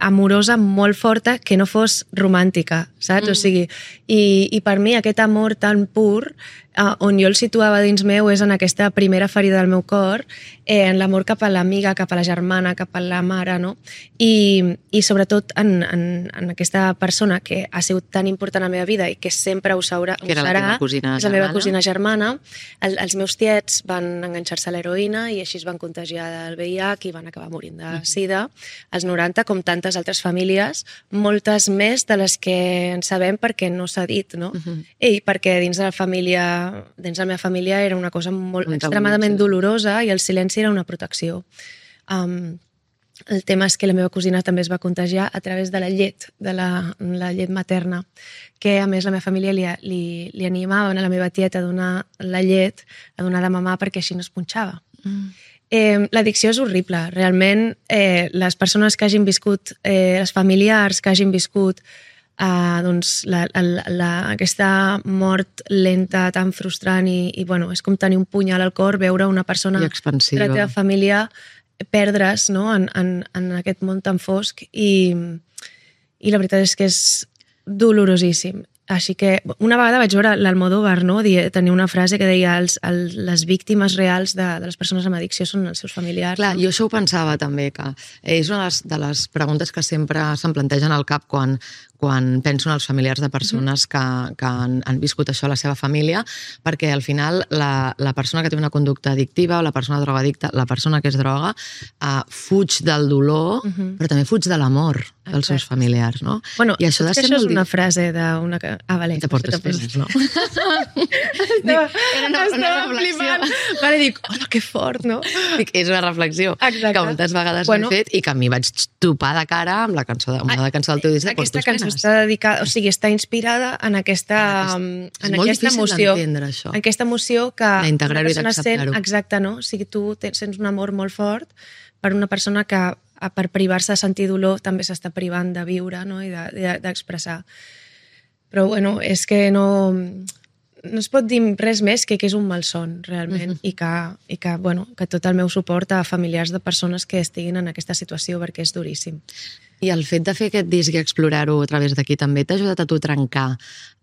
amorosa molt forta que no fos romàntica, saps? O sigui, i per mi aquest amor tan pur, on jo el situava dins meu és en aquesta primera ferida del meu cor, en l'amor cap a l'amiga, cap a la germana, cap a la mare, no? I sobretot en aquesta persona que ha sigut tan important a la meva vida i que sempre ho serà, que era la teva cosina germana. És la meva cosina germana. Els meus tiets van enganxar-se a l'heroïna i així es van contagiar del VIH i van acabar morint de sida als 90, com tantes altres famílies, moltes més de les que en sabem perquè no s'ha dit, no? I perquè dins de la meva família era una cosa molt extremadament dolorosa i el silenci era una protecció. El tema és que la meva cosina també es va contagiar a través de la llet, de la llet materna, que a més la meva família li animaven a la meva tieta a donar la llet, a donar de mamar perquè així no es punxava. L'addicció és horrible. Realment, les persones que hagin viscut, els familiars que hagin viscut aquesta mort lenta, tan frustrant i bueno, és com tenir un punyal al cor, veure una persona de la teva família perdre's, no? en aquest món tan fosc i la veritat és que és dolorosíssim. Així que una vegada vaig veure l'Almodóvar, no? Tenia una frase que deia les víctimes reals de les persones amb addicció són els seus familiars. Clar, jo això ho pensava també, que és una de les preguntes que sempre se'm plantegen al cap quan quan penso en els familiars de persones que han viscut això a la seva família, perquè al final la persona que té una conducta addictiva o la persona drogadicta, la persona que és droga, fuig del dolor, però també fuig de l'amor dels seus familiars, no? Bueno, i això, això és una frase d'una... Vale. Te portes penes, no? Estava flipant. Vale, dic, hola, que fort, no? Dic, és una reflexió que moltes vegades m'he fet i que a mi vaig topar de cara amb la cançó del teu disc de Portos Penes. Aquesta cançó està dedicada, o sigui, està inspirada en aquesta emoció. Això. Aquesta emoció que... D'integrar-ho i d'acceptar-ho. Exacte, no? O sigui, tu sents un amor molt fort per una persona que per privar-se de sentir dolor també s'està privant de viure, no? I d'expressar. Però, bueno, és que no es pot dir res més que és un malson, realment, i que, bueno, que tot el meu suport a familiars de persones que estiguin en aquesta situació, perquè és duríssim. I el fet de fer aquest disc i explorar-ho a través d'aquí també t'ha ajudat a tu a trencar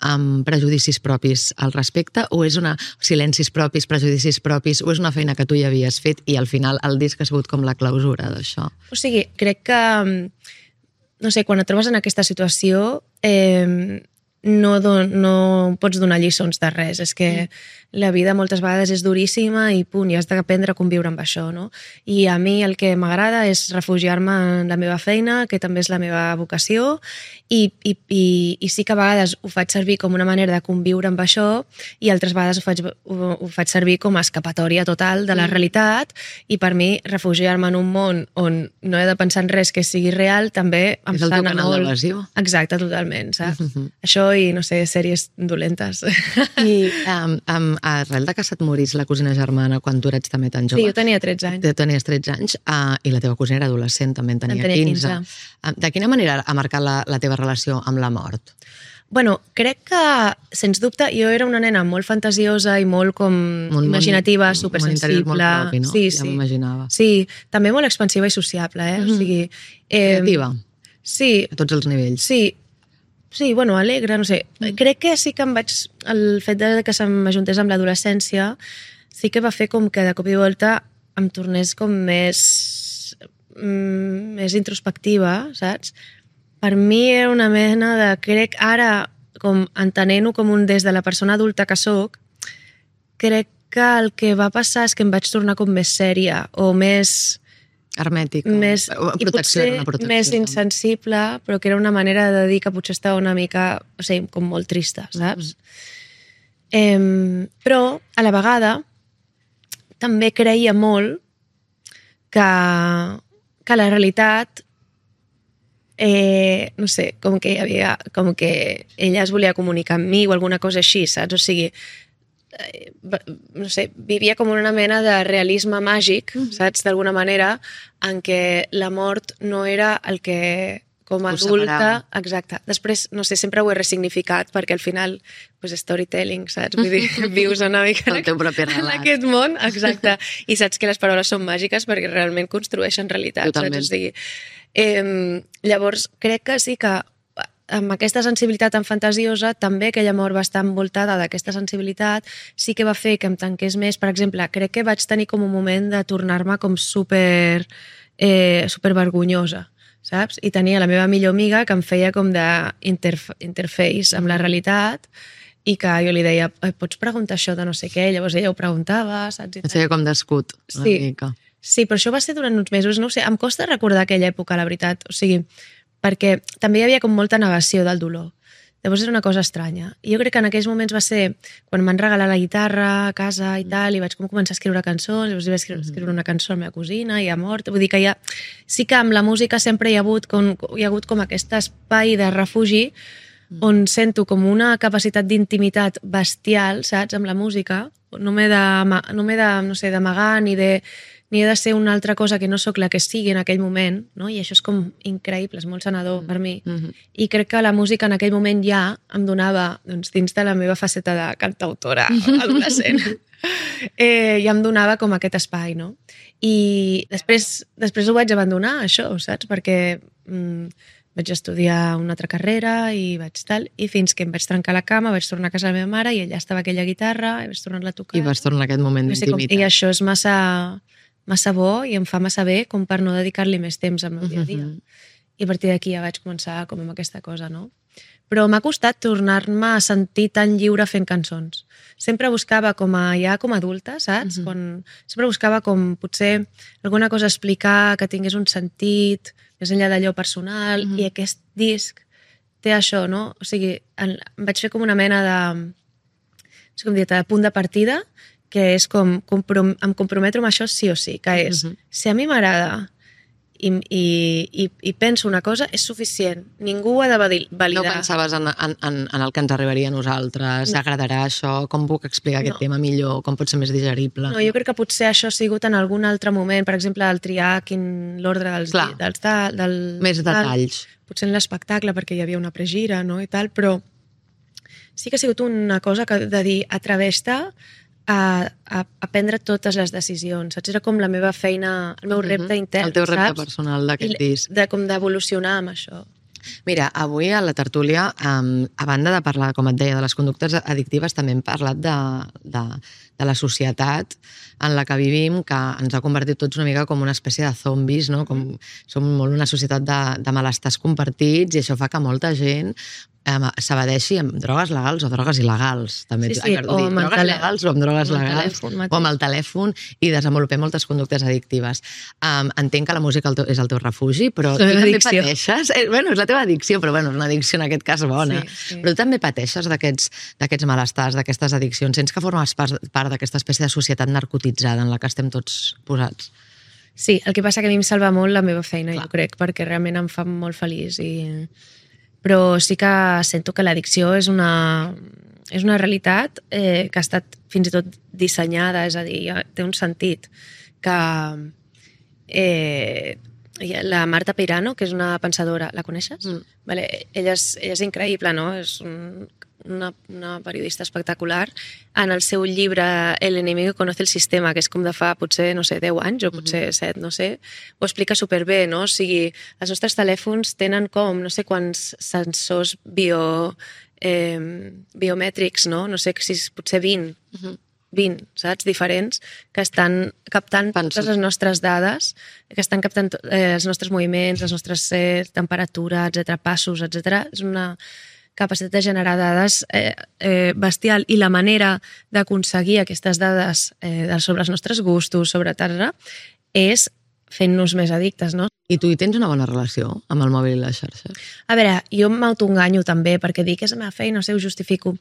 amb prejudicis propis al respecte, o és silencis propis, prejudicis propis, o és una feina que tu ja havies fet i al final el disc ha sigut com la clausura d'això? O sigui, crec que, no sé, quan et trobes en aquesta situació no pots donar lliçons de res. És que la vida moltes vegades és duríssima i punt, i has d'aprendre a conviure amb això, no? I a mi el que m'agrada és refugiar-me en la meva feina, que també és la meva vocació, i sí que a vegades ho faig servir com una manera de conviure amb això, i altres vegades ho faig servir com a escapatòria total de la realitat, i per mi refugiar-me en un món on no he de pensar en res que sigui real també em sana molt. És el teu canal d'evasió. Exacte, totalment, saps? Això i, no sé, sèries dolentes. I arrel de que se't morís la cosina germana quan tu eres també tan jove. Sí, jo tenia 13 anys. Tu tenies 13 anys i la teva cosina era adolescent, també en tenia 15. De quina manera ha marcat la teva relació amb la mort? Bueno, crec que, sens dubte, jo era una nena molt fantasiosa i molt com imaginativa, supersensible. Un interior molt propi, no? Sí, ja m'imaginava. Sí, també molt expansiva i sociable, O sigui... Creativa. Sí. A tots els nivells. Sí, bueno, alegre, no sé. Crec que sí que el fet de que se m'ajuntés amb l'adolescència sí que va fer com que de cop i volta em tornés com més introspectiva, saps? Per mi era una mena de... Crec ara, com entenent-ho com des de la persona adulta que sóc, crec que el que va passar és que em vaig tornar com més sèria o més... hermètica, i potser més insensible, però que era una manera de dir que potser estava una mica, o sigui, com molt trista, saps? Però, a la vegada, també creia molt que la realitat, no sé, com que ella es volia comunicar amb mi o alguna cosa així, saps? O sigui, no sé, vivia com una mena de realisme màgic, saps, d'alguna manera, en què la mort no era el que com a adulta... Exacte. Després, no sé, sempre ho he ressignificat perquè al final, storytelling, saps? Vull dir, vius una mica en aquest món, exacte, i saps que les paraules són màgiques perquè realment construeixen realitat, saps? O sigui, llavors, crec que sí que amb aquesta sensibilitat tan fantasiosa, també aquella mort va estar envoltada d'aquesta sensibilitat, sí que va fer que em tanqués més. Per exemple, crec que vaig tenir com un moment de tornar-me com super vergonyosa, saps? I tenia la meva millor amiga que em feia com d'interface amb la realitat i que jo li deia, pots preguntar això de no sé què? Llavors ella ho preguntava, saps? Et feia com d'escut, una mica. Sí, però això va ser durant uns mesos, no ho sé, em costa recordar aquella època, la veritat, o sigui, perquè també hi havia com molta negació del dolor. Llavors era una cosa estranya. I jo crec que en aquells moments va ser quan m'han regalat la guitarra a casa i tal, i vaig començar a escriure cançons, llavors vaig escriure una cançó a la meva cosina i ha mort. Vull dir que sí que amb la música sempre hi ha hagut com aquest espai de refugi on sento com una capacitat d'intimitat bestial, saps, amb la música. No m'he d'amagar ni de ser una altra cosa que no sóc la que sigui en aquell moment, no? I això és com increïble, és molt sanador per mi. I crec que la música en aquell moment ja em donava, doncs, dins de la meva faceta de cantautora adolescent, ja em donava com aquest espai, no? I després ho vaig abandonar, això, saps? Perquè vaig estudiar una altra carrera i fins que em vaig trencar la cama, vaig tornar a casa de la meva mare i allà estava aquella guitarra i vaig tornar-la a tocar. I vas tornar a aquest moment d'intimitat. I això és massa bo i em fa massa bé com per no dedicar-li més temps al meu dia a dia. I a partir d'aquí ja vaig començar com amb aquesta cosa, no? però m'ha costat tornar-me a sentir tan lliure fent cançons. Sempre buscava com a adulta, saps? Sempre buscava com potser alguna cosa a explicar que tingués un sentit, més enllà d'allò personal, i aquest disc té això, no? O sigui, em vaig fer com una mena de punt de partida, que és com em comprometo amb això sí o sí, que és, si a mi m'agrada i penso una cosa, és suficient. Ningú ho ha de validar. No pensaves en el que ens arribaria a nosaltres, agradarà això, com puc explicar aquest tema millor, com pot ser més digerible? No, jo crec que potser això ha sigut en algun altre moment, per exemple, el triar l'ordre dels més detalls. Potser en l'espectacle, perquè hi havia una pregira, no?, i tal, però sí que ha sigut una cosa de dir, atreveix-te a prendre totes les decisions, saps? Era com la meva feina, el meu repte intern, el teu repte personal d'aquest disc. Com d'evolucionar amb això. Mira, avui a la tertúlia, a banda de parlar, com et deia, de les conductes addictives, també hem parlat de la societat en la que vivim, que ens ha convertit tots una mica com una espècie de zombis, no? Som molt una societat de malestars compartits, i això fa que molta gent s'evadeixi amb drogues legals o drogues il·legals. També. Sí, o amb drogues legals o amb drogues legals, o amb el telèfon, i desenvolupem moltes conductes addictives. Entenc que la música és el teu refugi, però tu també pateixes... Bueno, és la teva addicció, però bueno, és una addicció en aquest cas bona. Sí. Però tu també pateixes d'aquests malestars, d'aquestes addiccions. Sents que formes part d'aquesta espècie de societat narcotitzada en la que estem tots posats? Sí, el que passa que a mi em salva molt la meva feina, jo crec, perquè realment em fa molt feliç però sí que sento que l'addicció és una realitat que ha estat fins i tot dissenyada, és a dir, té un sentit que la Marta Peirano, que és una pensadora, la coneixes? Vale, ella és increïble, no? És una periodista espectacular. En el seu llibre El enemigo conoce el sistema, que és com de fa potser, no sé, 10 anys o potser 7, no sé, ho explica superbé, no? O sigui, els nostres telèfons tenen com no sé quants sensors biomètrics, no? No sé si potser 20, saps? Diferents, que estan captant totes les nostres dades, que estan captant els nostres moviments, les nostres temperatures, etc, passos, etc. És una capacitat de generar dades bestial, i la manera d'aconseguir aquestes dades sobre els nostres gustos, sobre etc, és fent-nos més addictes, no? I tu hi tens una bona relació amb el mòbil i les xarxes? A veure, jo m'autoenganyo també, perquè dic que és la meva feina, no sé, ho justifico.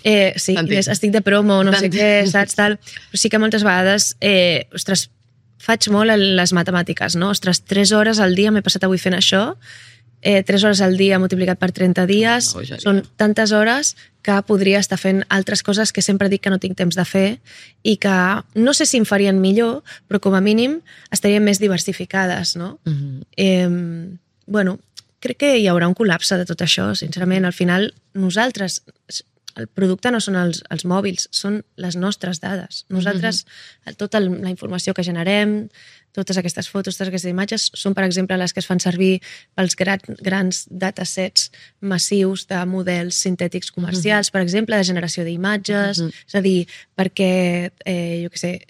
Sí, estic de promo, no sé què, saps, tal. Però sí que moltes vegades, ostres, faig molt les matemàtiques, no? Ostres, 3 hores al dia m'he passat avui fent això, 3 hores al dia multiplicat per 30 dies, són tantes hores que podria estar fent altres coses que sempre dic que no tinc temps de fer i que no sé si em farien millor, però com a mínim estarien més diversificades, no? Bueno, crec que hi haurà un col·lapse de tot això, sincerament. Al final, nosaltres, el producte no són els mòbils, són les nostres dades. Nosaltres, tota la informació que generem, totes aquestes fotos, totes aquestes imatges, són, per exemple, les que es fan servir pels grans datasets massius de models sintètics comercials, per exemple, de generació d'imatges, és a dir, perquè, jo què sé,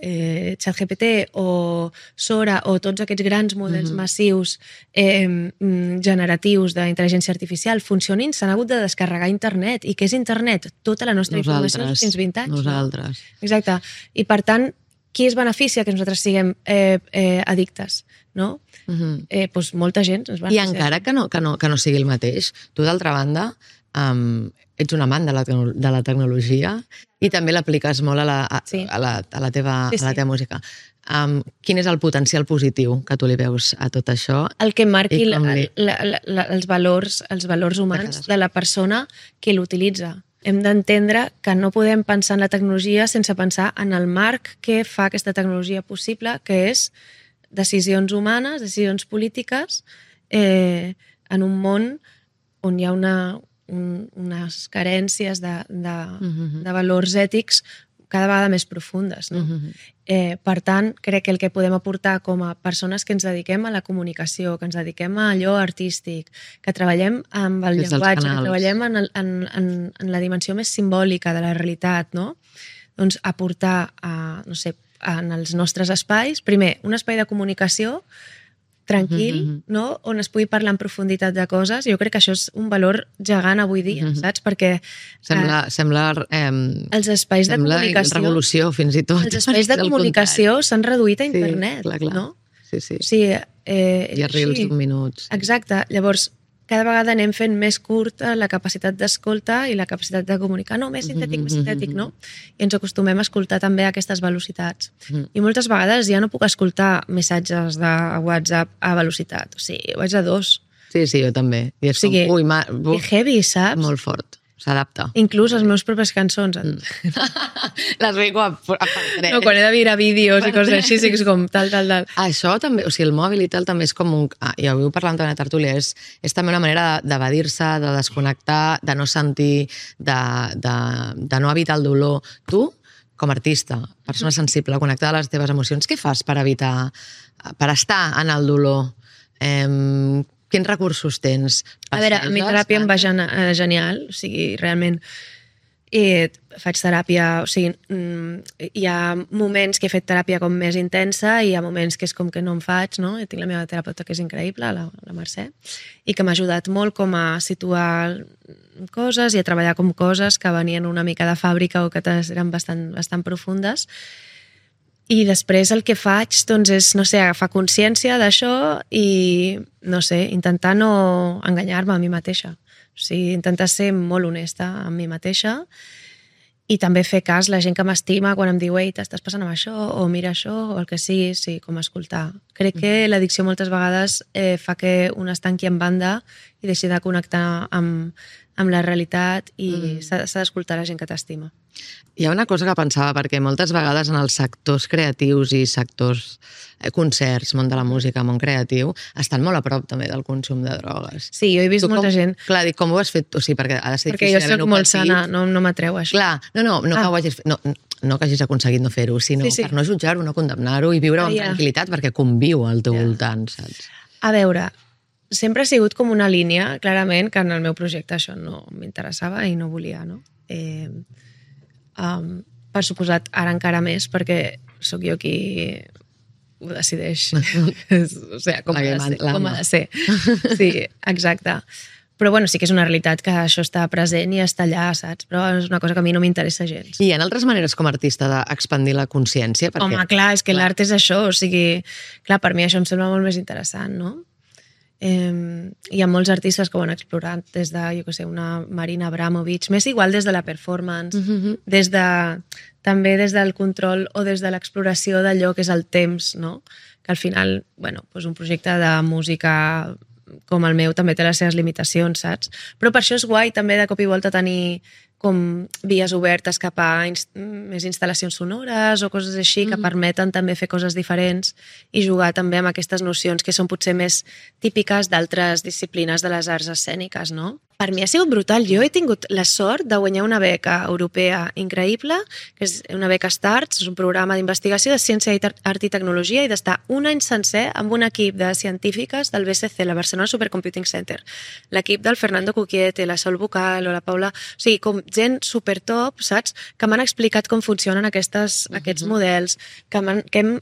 ChatGPT o Sora o tots aquests grans models massius generatius d'intel·ligència artificial funcionin, s'han hagut de descarregar internet. I què és internet? Tota la nostra informació fins 20 anys. Nosaltres. Exacte. I, per tant, qui es beneficia que nosaltres siguem addictes, no? Doncs molta gent es beneficia. I encara que no sigui el mateix, tu, d'altra banda, ets un amant de la tecnologia i també l'apliques molt a la teva música. Quin és el potencial positiu que tu li veus a tot això? El que marqui els valors humans de la persona que l'utilitza. Hem d'entendre que no podem pensar en la tecnologia sense pensar en el marc que fa aquesta tecnologia possible, que és decisions humanes, decisions polítiques, en un món on hi ha unes carències de valors ètics cada vegada més profundes. No? Per tant, crec que el que podem aportar com a persones que ens dediquem a la comunicació, que ens dediquem a allò artístic, que treballem amb el llenguatge, que treballem en la dimensió més simbòlica de la realitat, no? Doncs aportar en els nostres espais, primer, un espai de comunicació tranquil, no? On es pugui parlar en profunditat de coses. Jo crec que això és un valor gegant avui dia, saps? Perquè Sembla els espais de comunicació... revolució, fins i tot. Els espais de comunicació s'han reduït a internet, clar. no? Sí. I a reels d'un minut. Exacte. Llavors, cada vegada anem fent més curta la capacitat d'escolta i la capacitat de comunicar. No, més sintètic, no? I ens acostumem a escoltar també a aquestes velocitats. I moltes vegades ja no puc escoltar missatges de WhatsApp a velocitat. O sigui, vaig a 2. Sí, jo també. I és com, que heavy, saps? Molt fort. S'adapta. Inclús les meves pròpies cançons. Les veig a no, quan he de mirar vídeos i coses així, sí que és com tal. Això també, o sigui, el mòbil i tal també és com un... ja ho heu parlat també a la tertúlia, és també una manera d'evadir-se, de desconnectar, de no sentir, de no evitar el dolor. Tu, com a artista, persona sensible, connectada a les teves emocions, què fas per evitar, per estar en el dolor? Quins recursos tens? A veure, a mi teràpia em va genial, o sigui, realment faig teràpia, o sigui, hi ha moments que he fet teràpia com més intensa i hi ha moments que és com que no en faig, no? I tinc la meva terapeuta que és increïble, la Mercè, i que m'ha ajudat molt com a situar coses i a treballar com coses que venien una mica de fàbrica o que eren bastant profundes. I després el que faig doncs és, no sé, agafar consciència d'això i, no sé, intentar no enganyar-me a mi mateixa. O sigui, intentar ser molt honesta amb mi mateixa i també fer cas la gent que m'estima quan em diu ei, t'estàs passant amb això, o mira això, o el que sigui, sí, com escoltar. Crec que l'addicció moltes vegades fa que un es tanqui en banda i deixi de connectar amb la realitat i s'ha d'escoltar la gent que t'estima. Hi ha una cosa que pensava, perquè moltes vegades en els sectors creatius i sectors concerts, món de la música, món creatiu, estan molt a prop també del consum de drogues. Sí, jo he vist molta gent. Clar, dic, com ho has fet? O sigui, perquè ha de ser difícil. Perquè jo soc molt sana, no m'atreu això. Clar, no que ho hagis fet, no que hagis aconseguit no fer-ho, sinó per no jutjar-ho, no condemnar-ho i viure amb tranquil·litat perquè conviu al teu voltant, saps? A veure, sempre ha sigut com una línia, clarament, que en el meu projecte això no m'interessava i no volia, no? Per suposat, ara encara més, perquè sóc jo qui ho decideix. O sigui, com ha de ser. Sí, exacte. Però bueno, sí que és una realitat que això està present i està allà, saps? Però és una cosa que a mi no m'interessa gens. I hi ha altres maneres com a artista d'expandir la consciència? Home, clar, és que l'art és això, o sigui, clar, per mi això em sembla molt més interessant, no? Hi ha molts artistes que ho han explorat des de, jo què sé, una Marina Abramovic, més igual des de la performance, també des del control o des de l'exploració d'allò que és el temps, no? Que al final, bueno, doncs un projecte de música com el meu també té les seves limitacions, saps? Però per això és guai també de cop i volta tenir com vies obertes cap a més instal·lacions sonores o coses així que permeten també fer coses diferents i jugar també amb aquestes nocions que són potser més típiques d'altres disciplines de les arts escèniques, no? Per mi ha sigut brutal. Jo he tingut la sort de guanyar una beca europea increïble, que és una beca STARTS, és un programa d'investigació de ciència, art i tecnologia, i d'estar un any sencer amb un equip de científiques del BCC, la Barcelona Supercomputing Center, l'equip del Fernando Cuquiete, la Sol Bucal o la Paula... O sigui, com gent supertop, saps? Que m'han explicat com funcionen aquests models, que hem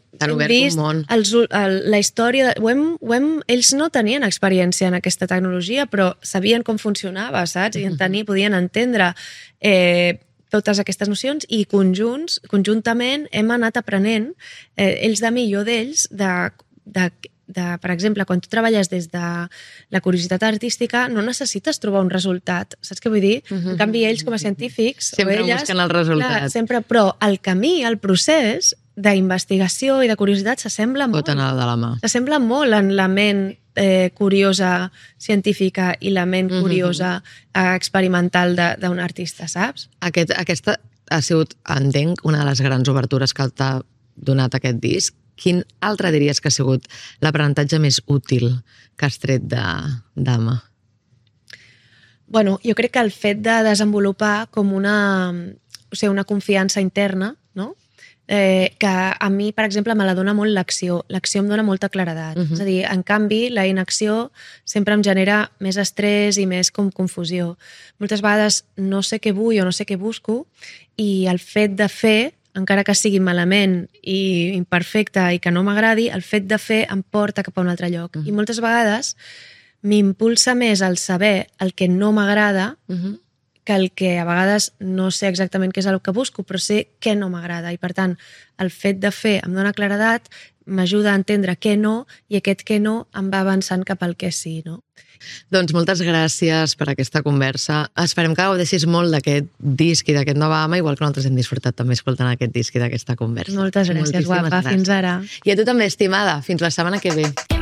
vist la història... Ells no tenien experiència en aquesta tecnologia, però sabien com funcionava, saps? I podien entendre totes aquestes nocions i conjuntament hem anat aprenent ells de mi i jo d'ells per exemple, quan tu treballes des de la curiositat artística no necessites trobar un resultat, saps què vull dir? En canvi, ells com a científics sempre busquen el resultat. Sempre, però el camí, el procés d'investigació i de curiositat s'assembla molt. Pot anar de la mà. S'assembla molt en la ment curiosa científica i la ment curiosa experimental d'un artista, saps? Aquesta ha sigut, entenc, una de les grans obertures que t'ha donat aquest disc. Quin altre diries que ha sigut l'aprenentatge més útil que has tret d'Ama? Bueno, jo crec que el fet de desenvolupar com una confiança interna, no? Que a mi, per exemple, me la dona molt l'acció. L'acció em dona molta claredat. És a dir, en canvi, la inacció sempre em genera més estrès i més com confusió. Moltes vegades no sé què vull o no sé què busco i el fet de fer encara que sigui malament i imperfecte i que no m'agradi, el fet de fer em porta cap a un altre lloc. I moltes vegades m'impulsa més el saber el que no m'agrada que el que a vegades no sé exactament què és el que busco, però sé què no m'agrada. I per tant, el fet de fer em dona claredat, m'ajuda a entendre què no, i aquest què no em va avançant cap al què sí, no? Doncs moltes gràcies per aquesta conversa. Esperem que gaudeixis molt d'aquest disc i d'aquest Nova Ama, igual que nosaltres hem disfrutat també escoltant aquest disc i d'aquesta conversa. Moltes gràcies, guapa. Fins ara. I a tu també, estimada. Fins la setmana que ve.